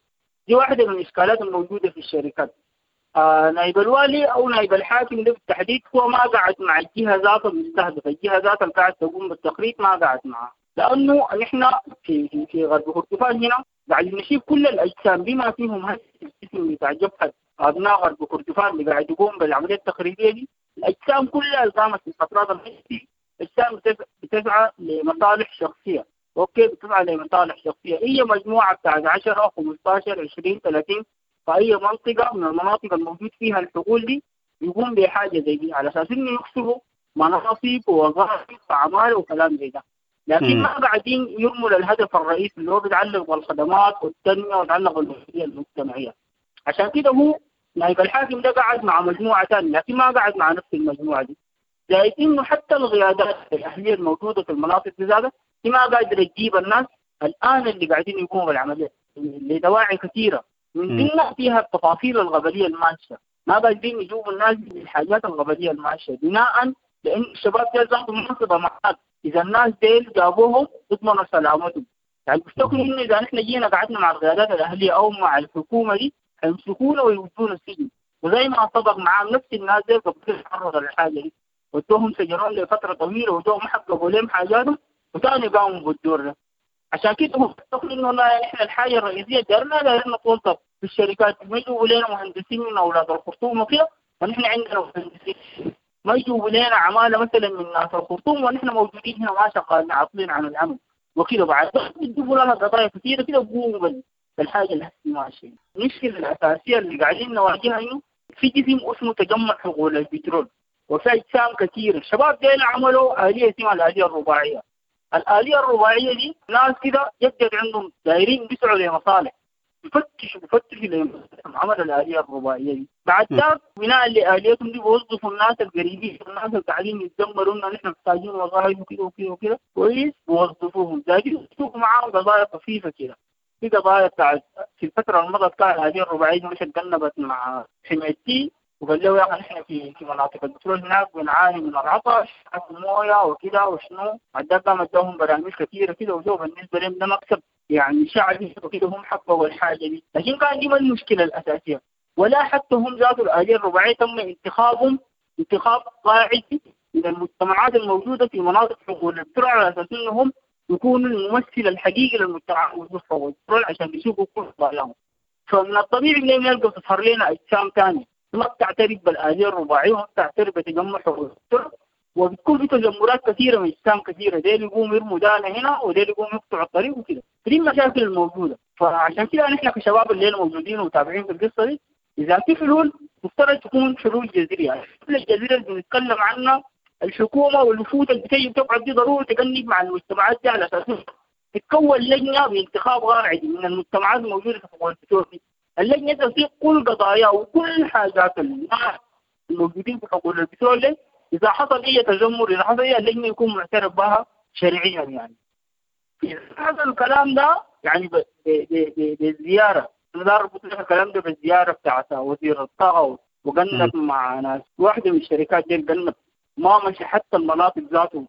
دي واحدة من الإشكالات الموجودة في الشركات. نائب الوالي أو نائب الحاكم ده بالتحديد هو ما قعد مع الجهة ذات المستهدفة، الجهة ذات اللي قاعد تقوم بالتخريط ما قعد معها، لأنه نحن في غرب كردفان هنا قاعد نشيل كل الأجسام بما فيهم هسه الجسم بتاع جبهة أبناء غرب كردفان اللي قاعد يقوم بالعملية التخريبية دي، الأجسام كلها اللي قامت في الفترات الحديثة أجسام بتسعى لمصالح شخصية، okay بتسعى لمصالح شخصية، هي مجموعة بتاعت 10 15 20 30 في أي منطقة من المناطق الموجود فيها الحقول دي يقوم بحاجة زي دي على أساس إنه يكسبوا مناصب ووظائف وأعمال وكلام زي ده، لكن ما قاعدين يرموا للهدف الرئيسي اللي هو بيتعلق بالخدمات والتنمية ويتعلق بالمسؤولية المجتمعية. عشان كده هو نائب الحاكم ده قاعد مع مجموعة ثانية، لكن ما قاعد مع نفس المجموعة دي. زائد إنه حتى القيادات الأهلية الموجودة في المناطق دي ذاتها ما قادرة تجيب الناس الآن اللي قاعدين يقوموا بالعملية لدواعي كثيرة من ضمنها فيها التفاصيل الغبلية الماشية، ما قادرين يجيبوا الناس بالحاجات الغبلية الماشية بناء لأن الشباب ديل ذاتهم منصبة معاك، إذا الناس ديل جابوهم يضمنوا سلامتهم. يعني بيفتكروا إنه إذا نحن جينا قعدنا مع القيادات الأهلية أو مع الحكومة دي حيمسكونا ويودونا السجن، وزي ما صدق معاهم نفس الناس ديل قبل تعرضوا للحاجة دي ودوهم سجنون لفترة طويلة ودوهم حققوا لهم حاجاتهم وثاني قاموا بالدور ده. عشان كده هم بيفتكروا إنه والله نحن الحاجة الرئيسية دارنا نتوظف في الشركات، ما يجيبوا لنا مهندسين من أولاد الخرطوم وكده، ونحن عندنا مهندسين، ما يجيبوا لنا عمالة مثلا من ناس الخرطوم ونحن موجودين هنا ما شغالين عاطلين عن العمل وكده. بعد بيجيبوا لنا قضايا كثيرة كده بيقوموا بالحاجة اللي ماشية. المشكلة الأساسية اللي قاعدين نواجهها إنه في جسم اسمه تجمع حقول البترول وفي أجسام كثيرة. الشباب ديل عملوا آلية اسمها الآلية الرباعية. الآلية الرباعية دي ناس كده جدد عندهم دايرين بيسعوا لمصالح، بفتشوا لمصالح، عملوا الآلية الرباعية دي. بعد ذاك بناء لآليتهم دي بيوظفوا الناس القريبين، الناس اللي قاعدين يتدمروا لنا نحن محتاجين وظائف وكده وكده وكده، كويس بيوظفوهم، زايدين يشوفوا معاهم قضايا خفيفة كده. في قضايا بتاعت في الفترة اللي مضت كان الآلية الرباعية دي مش اتجنبت مع حمايتي وقال له يا اخي نحن في مناطق البترول هناك بنعاني من العطش المويه وكده وشنو، بعد ذاك قام اداهم برامج كثيرة كده وجو بالنسبة لهم ده مكسب يعني شعبي وكده، هم حققوا الحاجة دي. لكن كان دي ما المشكلة الاساسية، ولا حتى هم ذات الآلية الرباعية تم انتخابهم انتخاب قاعدي من المجتمعات الموجودة في مناطق حقول البترول على اساس انهم يكونوا الممثل الحقيقي للمجتمع الموجود في البترول عشان يشوفوا كل قضاياهم. فمن الطبيعي انه نلقى تظهر لنا اجسام ثانية. ما بتعترف بالآلية الرباعية وما بتعترف بتجمع حقوق، وبتكون في تجمرات كثيرة من اجسام كثيرة، ديل يقوموا يرموا دانا هنا وديل يقوموا يقطعوا الطريق وكده. فدي المشاكل الموجودة. فعشان كده نحن كشباب اللي موجودين ومتابعين في القصة دي، اذا في حلول مفترض تكون حلول جذرية. الحلول الجذرية اللي بنتكلم عنها الحكومة والوفود اللي بتيجي بتقعد دي ضروري تجنب مع المجتمعات دي على اساس تتكون لجنة بانتخاب قاعدي من المجتمعات الموجودة في حقول البترول دي. اللجنة تصيغ كل قضايا وكل حاجات الناس الموجودين في حقول البترول دي. اذا حصل اي تذمر، اذا حصل اي لجنة يكون معترف بها شرعيا يعني. اذا حصل الكلام ده يعني بالزيارة، انا اربط لك الكلام ده بالزيارة بتاعت وزير الطاقة وقنب مع ناس واحدة من الشركات دي، قنب ما مشي حتى المناطق ذاته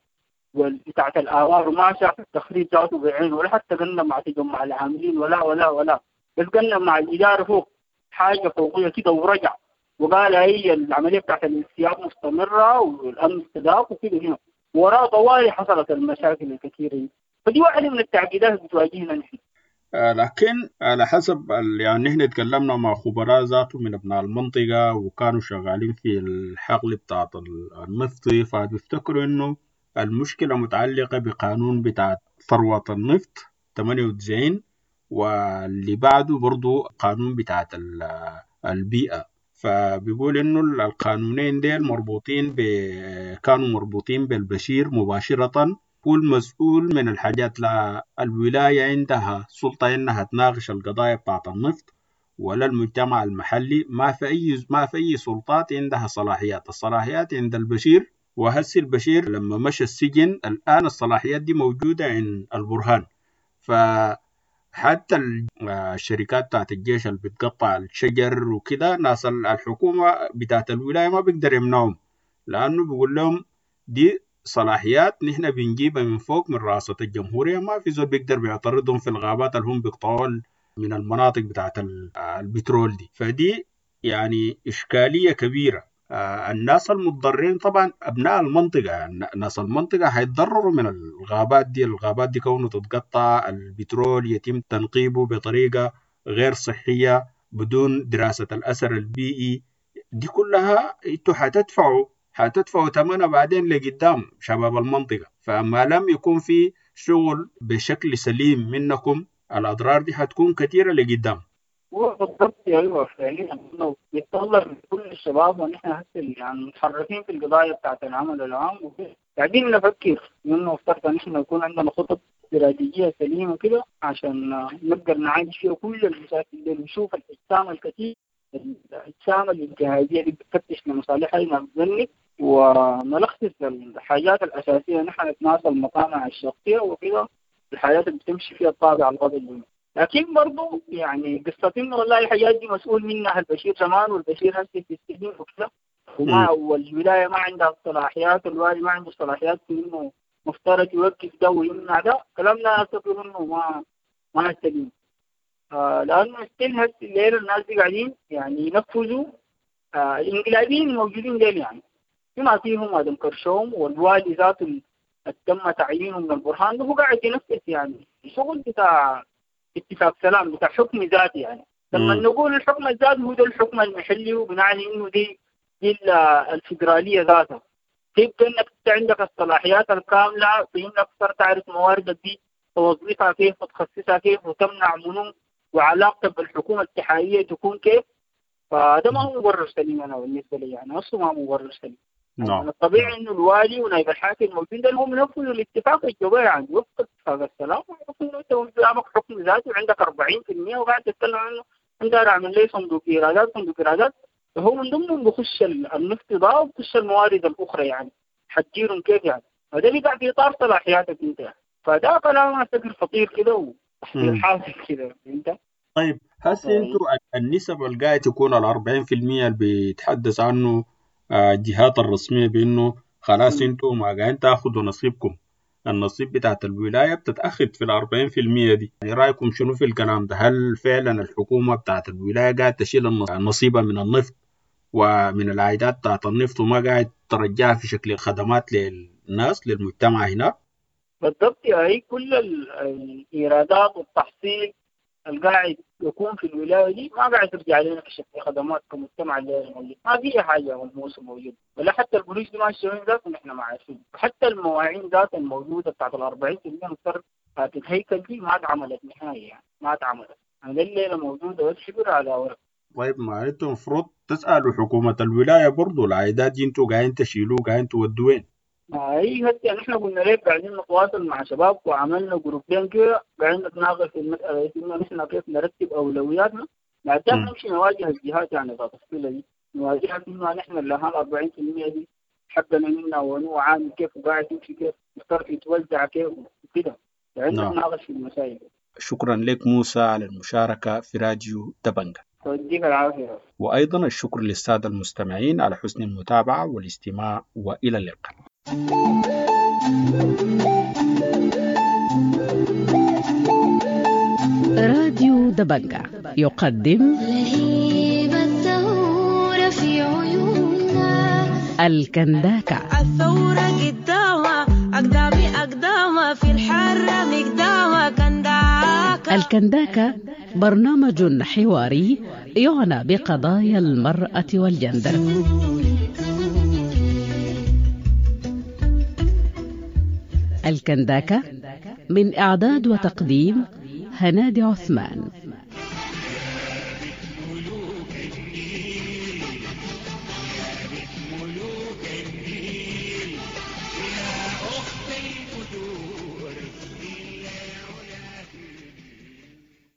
بتاعت الاوار وما شاف التخريب ذاته بعينه، ولا حتى قنب مع تجمع العاملين ولا ولا ولا، بس قنب مع الادارة فوق حاجة فوقيه كده ورجع وقال هي العملية بتاعت الانسياب مستمرة والامن استداق وكده هنا وراء طوالي حصلت المشاكل الكثيرة دي. فدي واحدة من التعقيدات اللي بتواجهنا نحن. لكن على حسب يعني نحن تكلمنا مع خبراء ذاته من أبناء المنطقة وكانوا شغالين في الحقل بتاعت النفط، فبيفتكروا إنه المشكلة متعلقة بقانون بتاع ثروة النفط 98، واللي بعده برضو قانون بتاعت البيئة. فبيقول إنه القانونين ديل مربوطين كانوا مربوطين بالبشير مباشرة، هو المسؤول من الحاجات. لا الولاية عندها سلطة إنها تناقش القضايا بتاعت النفط ولا المجتمع المحلي، ما في أي سلطات عندها صلاحيات. الصلاحيات عند البشير، وهسي البشير لما مشى السجن الآن الصلاحيات دي موجودة عند البرهان. فحتى الشركات بتاعت الجيش اللي بتقطع الشجر وكده، ناس الحكومة بتاعت الولاية ما بيقدر يمنعهم، لأنه بيقول لهم دي صلاحيات نحن بنجيبها من فوق من رئاسة الجمهورية، ما في زول بيقدر بيعترضهم في الغابات اللي هم بيقطعوا من المناطق بتاعت البترول دي. فدي يعني إشكالية كبيرة. الناس المتضررين طبعا أبناء المنطقة، ناس المنطقة هيتضرروا من الغابات دي. الغابات دي كونه تتقطع، البترول يتم تنقيبه بطريقة غير صحية بدون دراسة الأثر البيئي، دي كلها انتوا هتدفعوا ثمنها بعدين لقدام شباب المنطقة. فما لم يكون في شغل بشكل سليم منكم الأضرار دي هتكون كثيرة لقدام. هو بالضبط ايوه فعليا انه بيتطلب من كل الشباب، ونحن هسه يعني متحركين في القضايا بتاعت العمل العام وكده، قاعدين نفكر انه افترض ان احنا يكون عندنا خطط استراتيجية سليمة كده عشان نقدر نعالج فيها كل المشاكل دي، ونشوف الاجسام الكثير، الاجسام الانتهازيه اللي بتفتش لمصالحها ما بتذنب، ونلخص الحاجات الاساسية. نحن نتناسى المطامع الشخصية وكده، الحاجات اللي بتمشي فيها الطابع الغضبي. لكن برضو يعني قصة انه والله الحاجات دي مسؤول منها البشير زمان، والبشير هسه في السجن وكده، وما والولاية ما عندها الصلاحيات، والوالي ما عنده الصلاحيات في انه مفترض يوقف ده ويمنع ده. كلامنا اعتقد انه ما سليم، لانه still هسه الليلة الناس دي قاعدين يعني ينفذوا الانقلابيين الموجودين ديل، يعني بما فيهم ادم كرشوم والوالي ذاته تم تعيينه من البرهان ده، هو قاعد ينفذ يعني شغل بتاع اتفاق سلام بتاع حكم ذاتي. يعني لما نقول الحكم الذاتي هو ده الحكم المحلي، وبنعني انه دي الفدرالية ذاتها. تبقى انك انت عندك الصلاحيات الكاملة في انك تقدر تعرف مواردك دي توظفها كيف وتخصصها كيف وتمنع منو، وعلاقتك بالحكومة الاتحادية تكون كيف. فده ما هو مبرر سليم انا بالنسبة لي، يعني اصلا ما هو مبرر سليم. يعني الطبيعي انه الوالي ونائب الحاكم الموجودين ده هم ينفذوا الاتفاق الجوبي، يعني وفق اتفاق السلام، ويعرفوا انه انت قدامك حكم ذاتي وعندك 40% وقاعد تتكلم عنه انت اعمل لي صندوق ايرادات صندوق ايرادات، فهو من ضمنهم بخش النفط ده وبخش الموارد الاخرى، يعني حتديرهم كيف يعني؟ فده بيقع في اطار صلاحياتك انت يعني. فده كلام اعتقد خطير كده وتحصيل حاصل كده انت. طيب هسه انتوا النسب اللي قاعد تكون ال 40% اللي بيتحدث عنه الجهات الرسمية بأنه خلاص انتوا ما قاعدين تاخذوا نصيبكم، النصيب بتاعت الولاية بتتأخذ في 40% دي، يعني رأيكم شنو في الكلام ده؟ هل فعلا الحكومة بتاعت الولاية قاعد تشيل النصيبة من النفط ومن العائدات بتاعت النفط وما قاعد ترجعها في شكل خدمات للناس للمجتمع هناك؟ بالضبط، هي كل الإيرادات والتحصيل القاعد يكون في الولاية دي ما قاعد ترجع لنا في شكل خدمات كمجتمع اللي موجود، ما في حاجة ملموسة موجودة، ولا حتى البوليس دي ماشية وين ذاته نحن ما عارفين، حتى المواعين ذات الموجودة بتاعت ال 40% مضطر الهيكل دي ما اتعملت نهائي، يعني ما اتعملت، يعني الليلة موجودة بس حبر على ورق. طيب ما انتم المفروض تسألوا حكومة الولاية برضو العائدات دي انتوا قاعدين تشيلوه قاعدين تودوا وين؟ اي هسه نحن قلنا لك قاعدين نتواصل مع شباب وعملنا جروبين كده قاعدين نتناقش في المسألة انه نحن كيف نرتب اولوياتنا، بعدين نمشي نواجه الجهات يعني ذات الصلة دي، نواجهها انه نحن اللي هال 40% دي حقنا منا ونوع عامل كيف وقاعد يمشي كيف الصرف يتوزع كيف وكده، قاعدين نتناقش في المسائل. شكرا لك موسى على المشاركة في راديو دبنجة. يديك العافية. وأيضا الشكر للسادة المستمعين على حسن المتابعة والاستماع، وإلى اللقاء. راديو دبنجة يقدم لهيب الثورة في عيوننا الكنداكة. الثورة قدامها أقدامي أقدامها في الحرة مقدامها كنداكة. الكنداكة برنامج حواري يعنى بقضايا المرأة والجندر. الكنداكة من إعداد وتقديم هنادي عثمان.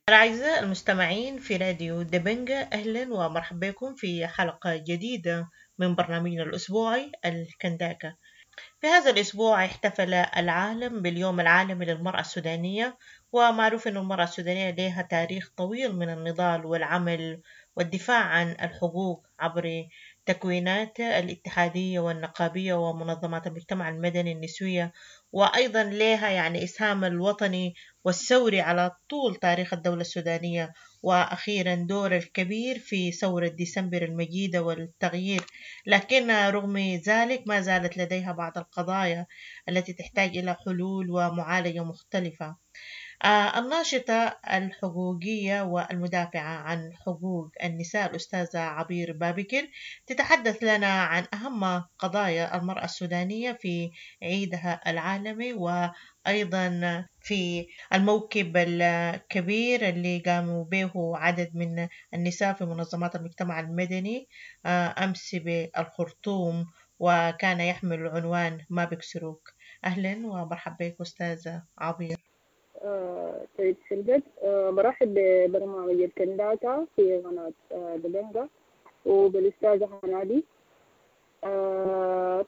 الأعزاء المستمعين في راديو دبنجة، أهلا ومرحبا بكم في حلقة جديدة من برنامجنا الأسبوعي الكنداكة. في هذا الأسبوع احتفل العالم باليوم العالمي للمرأة السودانية، ومعروف أن المرأة السودانية لها تاريخ طويل من النضال والعمل والدفاع عن الحقوق عبر تكوينات الاتحادية والنقابية ومنظمات المجتمع المدني النسوية، وأيضا لها يعني إسهام الوطني والثوري على طول تاريخ الدولة السودانية، وأخيرا دور الكبير في ثورة ديسمبر المجيدة والتغيير. لكن رغم ذلك ما زالت لديها بعض القضايا التي تحتاج إلى حلول ومعالجة مختلفة. الناشطة الحقوقية والمدافعة عن حقوق النساء الأستاذة عبير بابكر تتحدث لنا عن أهم قضايا المرأة السودانية في عيدها العالمي، وأيضا في الموكب الكبير اللي قاموا به عدد من النساء في منظمات المجتمع المدني أمس بالخرطوم، وكان يحمل عنوان ما بكسروك. أهلا ومرحبا بك أستاذة عبير. طيب في البدء برحب ببرنامج الكنداكة في قناة دبنجة وبالأستاذة هنادي.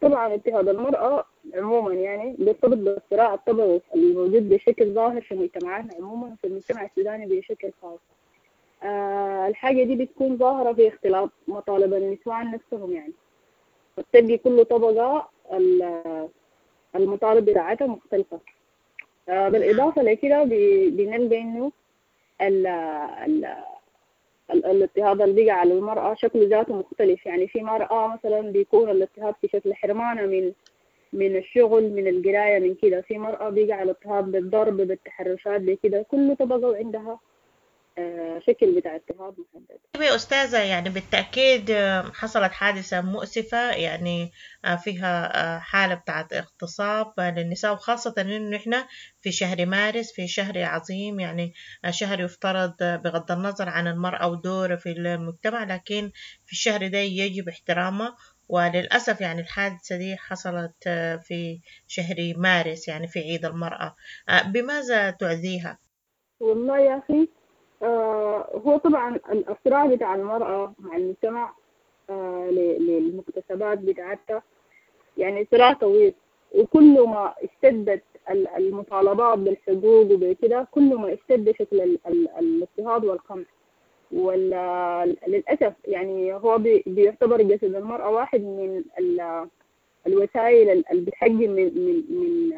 طبعا اضطهاد المرأة عموما يعني بيرتبط بالصراع الطبقي الموجود بشكل ظاهر في مجتمعاتنا عموما وفي المجتمع السوداني بشكل خاص. الحاجة دي بتكون ظاهرة في اختلاط مطالب النسوان نفسهم، يعني بتلقي كل طبقة المطالب بتاعتها مختلفة. بالإضافة لكده بنلقى إنه الاضطهاد اللي بيقع على المرأة شكله ذاته مختلف. يعني في مرأة مثلا بيكون الاضطهاد في شكل حرمانة من الشغل، من القراية، من كده. في مرأة بيقع الاضطهاد بالضرب، بالتحرشات، بكده. كل طبقة وعندها شكل بتاع اضطهاد محدد. طيب يا أستاذة، يعني بالتأكيد حصلت حادثة مؤسفة يعني فيها حالة بتاعت اغتصاب للنساء، وخاصة إنه إحنا في شهر مارس، في شهر عظيم، يعني شهر يفترض بغض النظر عن المرأة ودورها في المجتمع، لكن في الشهر ده يجب احترامه. وللأسف يعني الحادثة دي حصلت في شهر مارس، يعني في عيد المرأة. بماذا تعزيها؟ والله يا أخي هو طبعا الصراع بتاع المرأة مع المجتمع للمكتسبات بتاعتها يعني صراع طويل، وكل ما اشتدت المطالبات بالحقوق وبكده كل ما اشتد شكل الاضطهاد والقمع. وللأسف يعني هو بيعتبر جسد المرأة واحد من الوسائل اللي بتحجم من من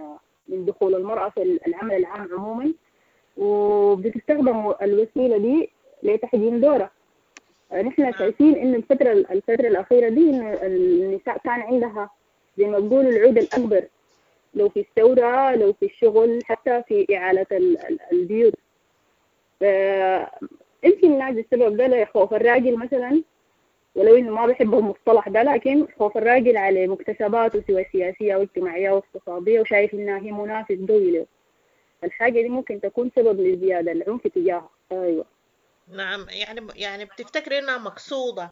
من دخول المرأة في العمل العام عموما، وبتستخدم الوسيلة دي لتحجيم دورها. نحن شايفين إن الفترة الأخيرة دي إن النساء كان عندها زي ما بيقولوا العود الأكبر، لو في الثورة، لو في الشغل، حتى في إعالة البيوت. يمكن نعزي السبب ده لخوف الراجل مثلا، ولو إنه ما بحب المصطلح ده، لكن خوف الراجل على مكتسباته سواء سياسية أو اجتماعية أو اقتصادية، وشايف إنها هي منافس قوي له. الحاجة دي ممكن تكون سبب لزيادة العنف تجاهها. أيوة. نعم، يعني بتفتكري إنها مقصودة؟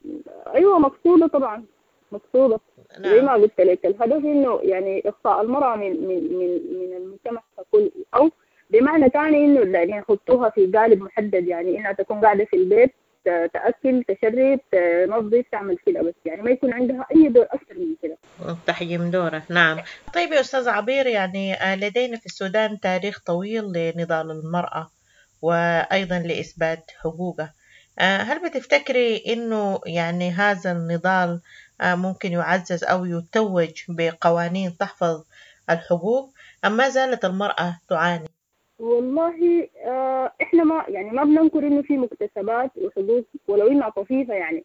أيوة مقصودة طبعا، مقصودة. نعم. زي ما قلت لك الهدف إنه يعني إخفاء المرأة من من من من المجتمع ككل، أو بمعنى ثاني إنه يعني يحطوها في قالب محدد، يعني إنها تكون قاعدة في البيت تأكل تشرب تنظف تعمل كده بس، يعني ما يكون عندها أي دور أكثر من كده. تحجيم دورة. نعم. طيب يا أستاذ عبير، يعني لدينا في السودان تاريخ طويل لنضال المرأة وأيضا لإثبات حقوقها. هل بتفتكري إنه يعني هذا النضال ممكن يعزز أو يتوج بقوانين تحفظ الحقوق، أم ما زالت المرأة تعاني؟ والله احنا ما يعني ما بننكر انه في مكتسبات وحقوق ولو انها طفيفه يعني،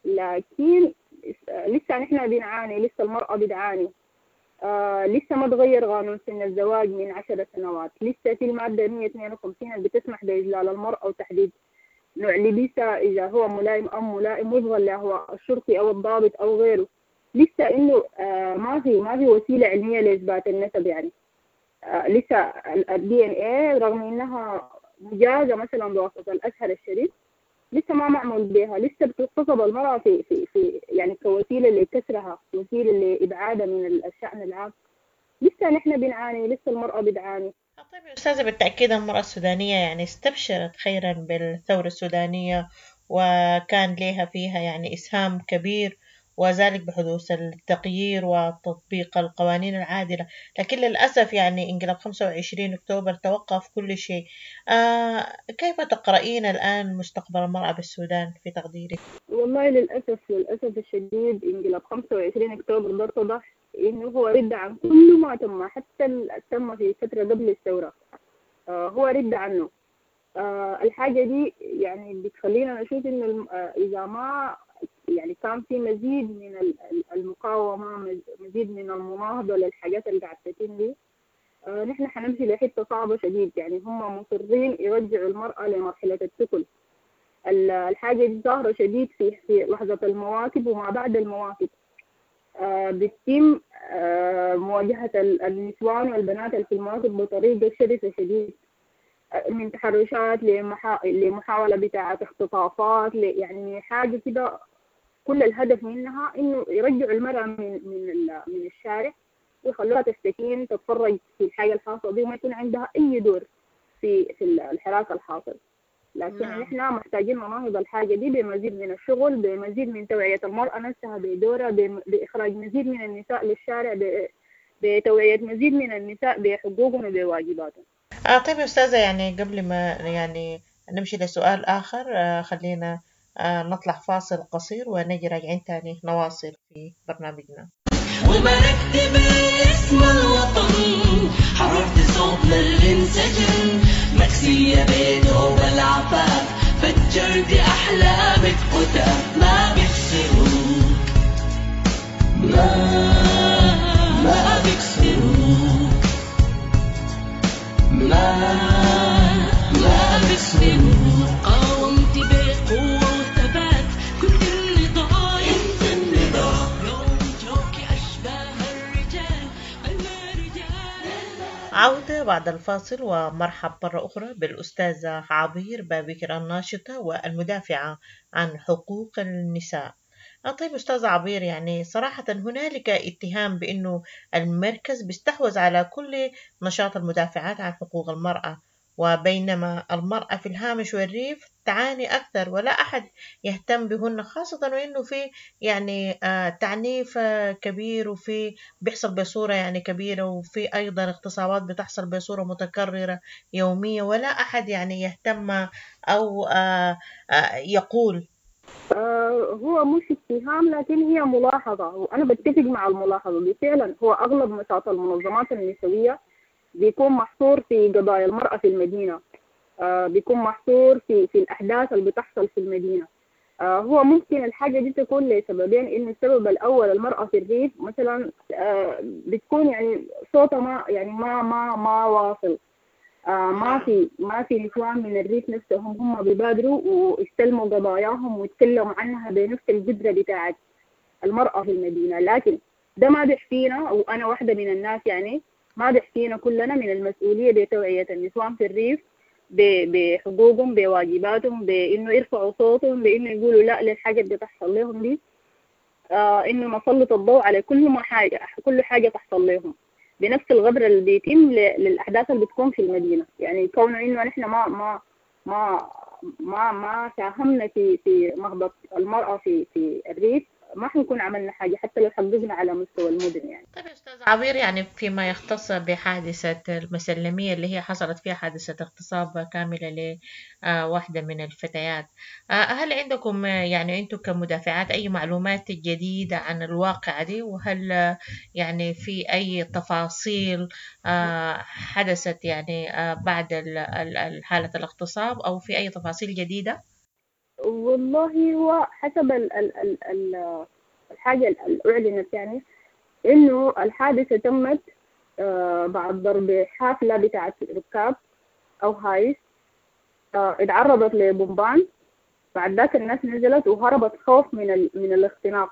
لكن لسه نحن بنعاني، لسه المرأة بتعاني. لسه ما تغير قانون سن الزواج من 10 سنوات، لسه في المادة 152 اللي بتسمح بإجلال المرأة وتحديد نوع لبسها إذا هو ملائم أو ملائم وفقا له الشرطي أو الضابط أو غيره. لسه إنه ما في وسيلة علمية لإثبات النسب يعني. لسه ال DNA رغم انها مجازة مثلا بواسطة الازهر الشريف لسه ما معمول بها، لسه بتغتصب المرأة في في في يعني كوسيلة لكسرها، وسيلة لإبعادها من الشأن العام. لسه نحن بنعاني، لسه المرأة بتعاني. طيب يا أستاذة، بالتأكيد المرأة السودانية يعني استبشرت خيرا بالثورة السودانية، وكان لها فيها يعني إسهام كبير، وذلك بحدوث التغيير وتطبيق القوانين العادلة، لكن للأسف يعني انقلاب 25 أكتوبر توقف كل شيء. كيف تقرأين الآن مستقبل المرأة بالسودان في تقديرك؟ والله للأسف الشديد انقلاب 25 أكتوبر ده اتضح إنه هو رد عن كل ما تم، حتى تم في فترة قبل الثورة هو رد عنه. الحاجة دي يعني بتخلينا نشوف إنه إذا ما يعني كان في مزيد من المقاومة، مزيد من المناهضة للحاجات اللي قاعدة تتم دي، نحن حنمشي لحتة صعبة شديد. يعني هم مصرين يرجعوا المرأة لمرحلة التكل. الحاجة دي ظاهرة شديد في لحظة المواكب وما بعد المواكب. بتتم مواجهة النسوان والبنات اللي في المواكب بطريقة شرسة شديد، من تحرشات لمحاولة بتاعة اختطافات، يعني حاجة كده كل الهدف منها إنه يرجعوا المرأة من من من الشارع ويخلوها تستكين تتفرج في الحاجة الحاصلة دي وما يكون عندها أي دور في الحراك الحاصل. لكن نحن محتاجين نناهض الحاجة دي بمزيد من الشغل، بمزيد من توعية المرأة نفسها بدورها، بإخراج مزيد من النساء للشارع، بتوعية مزيد من النساء بحقوقهم وبواجباتهم. طيب يا أستاذة، يعني قبل ما يعني نمشي لسؤال آخر، خلينا نطلع فاصل قصير ونجي راجعين تاني نواصل في برنامجنا. وباركت باسم الوطن، حررت صوتنا اللي انسجن، مكسية بيته بالعفاف، فجرت أحلامك قتاف، ما بيكسروك، ما بيكسروك، ما بيكسروك، قاومت بقوة وثبات، كنت النضال، انت النضال، يوم جوك أشباه الرجال، أنا رجال. عودة بعد الفاصل، ومرحب مرة أخرى بالأستاذة عبير بابكر الناشطة والمدافعة عن حقوق النساء. طيب أستاذة عبير، يعني صراحة هنالك اتهام بأنه المركز بيستحوذ على كل نشاط المدافعات عن حقوق المرأة، وبينما المرأة في الهامش والريف تعاني أكثر ولا أحد يهتم بهن، خاصة وإنه في يعني تعنيف كبير، وفي بيحصل بصورة يعني كبيرة، وفي أيضا اغتصابات بتحصل بصورة متكررة يومية، ولا أحد يعني يهتم أو يقول. هو مش اتهام لكن هي ملاحظة، وأنا بتفق مع الملاحظة دي. فعلا هو أغلب نشاط المنظمات النسوية بيكون محصور في قضايا المرأة في المدينة، بيكون محصور في الأحداث اللي بتحصل في المدينة. هو ممكن الحاجة دي تكون لسببين، إنه السبب الأول المرأة في الريف مثلا بتكون يعني صوتها ما يعني ما ما ما واصل. ما في نسوان من الريف نفسهم هم بيبادروا ويستلموا قضاياهم ويتكلموا عنها بنفس القدرة بتاعت المرأة في المدينة. لكن ده ما بيحفينا، وأنا واحدة من الناس يعني ما بيحفينا كلنا من المسؤولية بتوعية النسوان في الريف بحقوقهم، بواجباتهم، بإنه يرفعوا صوتهم، بإنه يقولوا لا للحاجة اللي بتحصل لهم دي، إنه نسلط الضوء على كل ما حاجة، كل حاجة تحصل لهم بنفس الغدر اللي بيتم للأحداث اللي بتكون في المدينة. يعني كونه إنه نحن ما ما ما ما ما ساهمنا في نهضة المرأة في الريف، ما حنكون عملنا حاجة حتى لو حققنا على مستوى المدن يعني. طيب يا أستاذ عبير، يعني فيما يختص بحادثة المسلمية اللي هي حصلت فيها حادثة اغتصاب كاملة لواحدة من الفتيات، هل عندكم يعني أنتم كمدافعات أي معلومات جديدة عن الواقعة دي؟ وهل يعني في أي تفاصيل حدثت يعني بعد حالة الاغتصاب، أو في أي تفاصيل جديدة؟ والله هو حسب ال ال ال ال الحاجة اللي أعلنت يعني إنه الحادثة تمت بعد ضرب حافلة بتاعت ركاب أو هايس، اتعرضت لبومبان، بعد ذاك الناس نزلت وهربت خوف من الاختناق.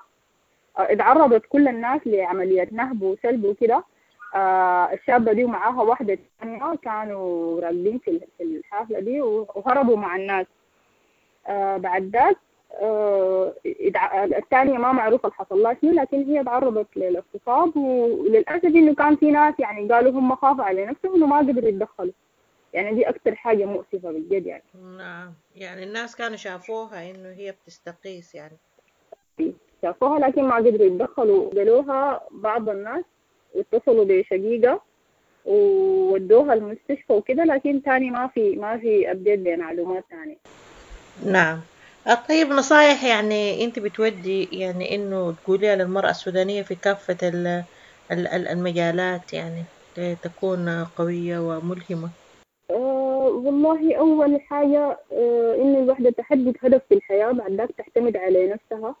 اتعرضت كل الناس لعملية نهب وسلب وكده. الشابة دي ومعاها واحدة تانية كانوا راكبين في الحافلة دي وهربوا مع الناس. بعد ذاك الثانية ما معروف اللي حصل لها شنو، لكن هي تعرضت للاغتصاب، وللأسف إنه كان في ناس يعني قالوا هم خافوا على نفسهم وما قدروا يتدخلوا. يعني دي أكتر حاجة مؤسفة بالجد يعني. نعم، يعني الناس كانوا شافوها إنه هي بتستقيس يعني، شافوها لكن ما قدروا يتدخلوا. قالوها بعض الناس واتصلوا بشقيقة وودوها المستشفى وكده، لكن تاني ما في update بمعلومات تانية. نعم. طيب نصايح يعني أنت بتودي يعني إنه تقوليها للمرأة السودانية في كافة المجالات يعني تكون قوية وملهمة؟ والله أول حاجة إنه الوحدة تحدد هدف في الحياة، بعد ذاك تعتمد على نفسها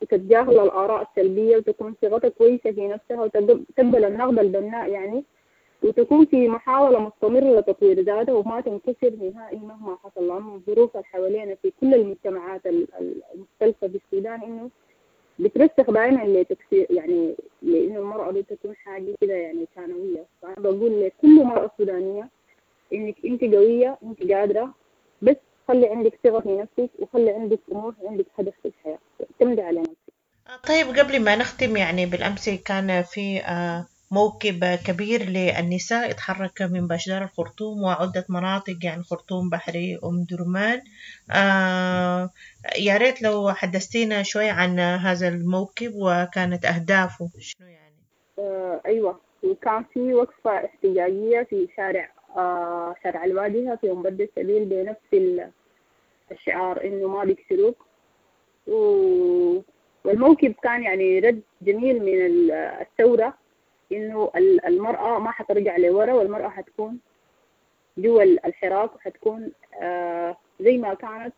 وتتجاهل الآراء السلبية وتكون صيغتها كويسة في نفسها وتقبل النقد البناء يعني، وتكون في محاولة مستمرة لتطوير ذاتها وما تنكسر نهائي مهما حصل، لأنه الظروف اللي حوالينا في كل المجتمعات المختلفة في السودان إنه بترسخ دائما لتكسير يعني، لأنه المرأة دي تكون حاجة كده يعني ثانوية. فأنا بقول لكل مرأة سودانية إنك أنت قوية، أنت قادرة، بس خلي عندك ثقة في نفسك وخلي عندك طموح وعندك هدف في الحياة، اعتمدي على نفسك. طيب قبل ما نختم، يعني بالأمس كان في موكب كبير للنساء اتحرك من باشدار الخرطوم وعدة مناطق يعني خرطوم، بحري، أم درمان. يا ريت لو حدثتينا شوي عن هذا الموكب وكانت أهدافه شنو يعني. أيوة، وكان في وقفة احتجاجية في شارع الواجهة في أم بد السبيل بنفس الشعار إنه ما بيكسروك. والموكب كان يعني رد جميل من الثورة إنه المرأة ما حترجع لورا، والمرأة حتكون جوا الحراك وحتكون زي ما كانت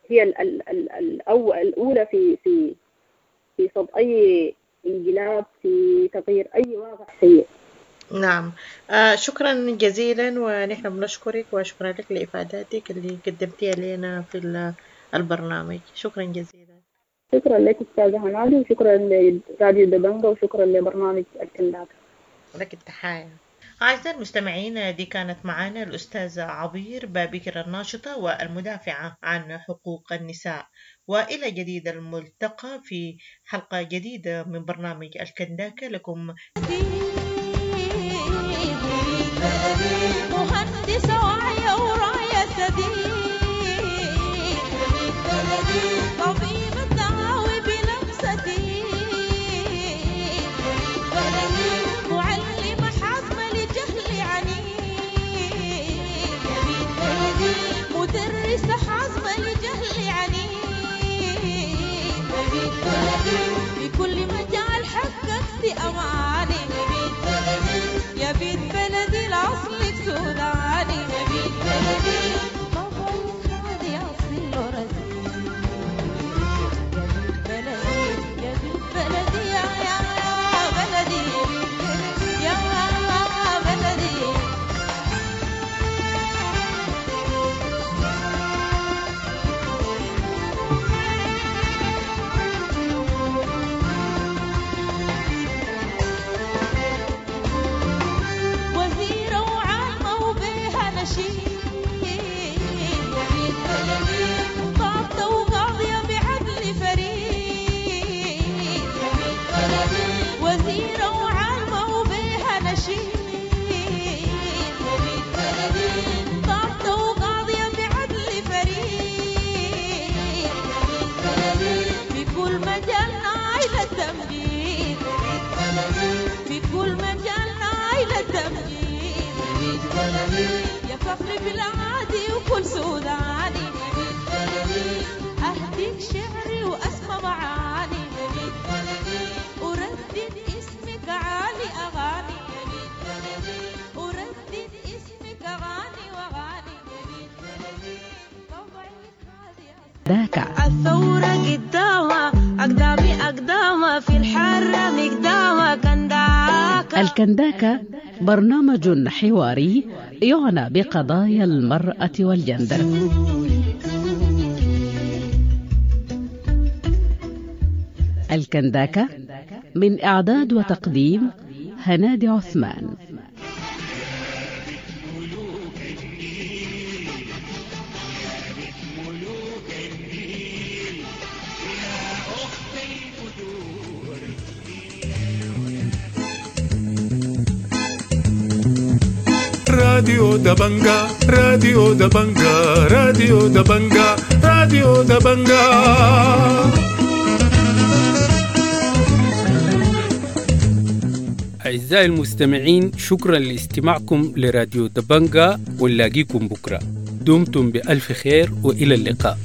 هي الأولى في في في صد أي انقلاب، في تغيير أي واقع سيء. نعم، شكرا جزيلا، ونحن بنشكرك وشكرا لك لإفاداتك اللي قدمتيها لنا في البرنامج. شكرا جزيلا. شكرا لك أستاذة هنادي، وشكرا لراديو دبنجة، وشكرا لبرنامج الكنداكة. لك التحية. أعزائي المستمعين، دي كانت معنا الأستاذة عبير بابكر الناشطة والمدافعة عن حقوق النساء، وإلى جديد الملتقى في حلقة جديدة من برنامج الكنداكة. لكم مهندسة وعية وراية سديد، طبيبة دعاوي بلمستي، معلمة حازمة لجهل عنيد، مدرسة حازمة لجهل عنيد، في كل مجال حققت أماني، يا بيت بلدي الأصل سوداني. في كل مجال نايلة تمجيد يا فخر بلادي وكل سوداني أهديك شعري وأسمى معاني وردد اسمك عالي أغاني وردد اسمك أغاني وأغاني ذاك الثورة قدامها أقدامي أقدامها في الحرة مقدامها كنداكا الكنداكا برنامج حواري يعنى بقضايا المرأة والجندر. الكنداكا من إعداد وتقديم هنادي عثمان. راديو دبنجا، راديو دبنجا، راديو دبنجا، راديو دبنجا. أعزائي المستمعين، شكرا لاستماعكم لراديو دبنجا، ونلاقيكم بكرة. دمتم بألف خير وإلى اللقاء.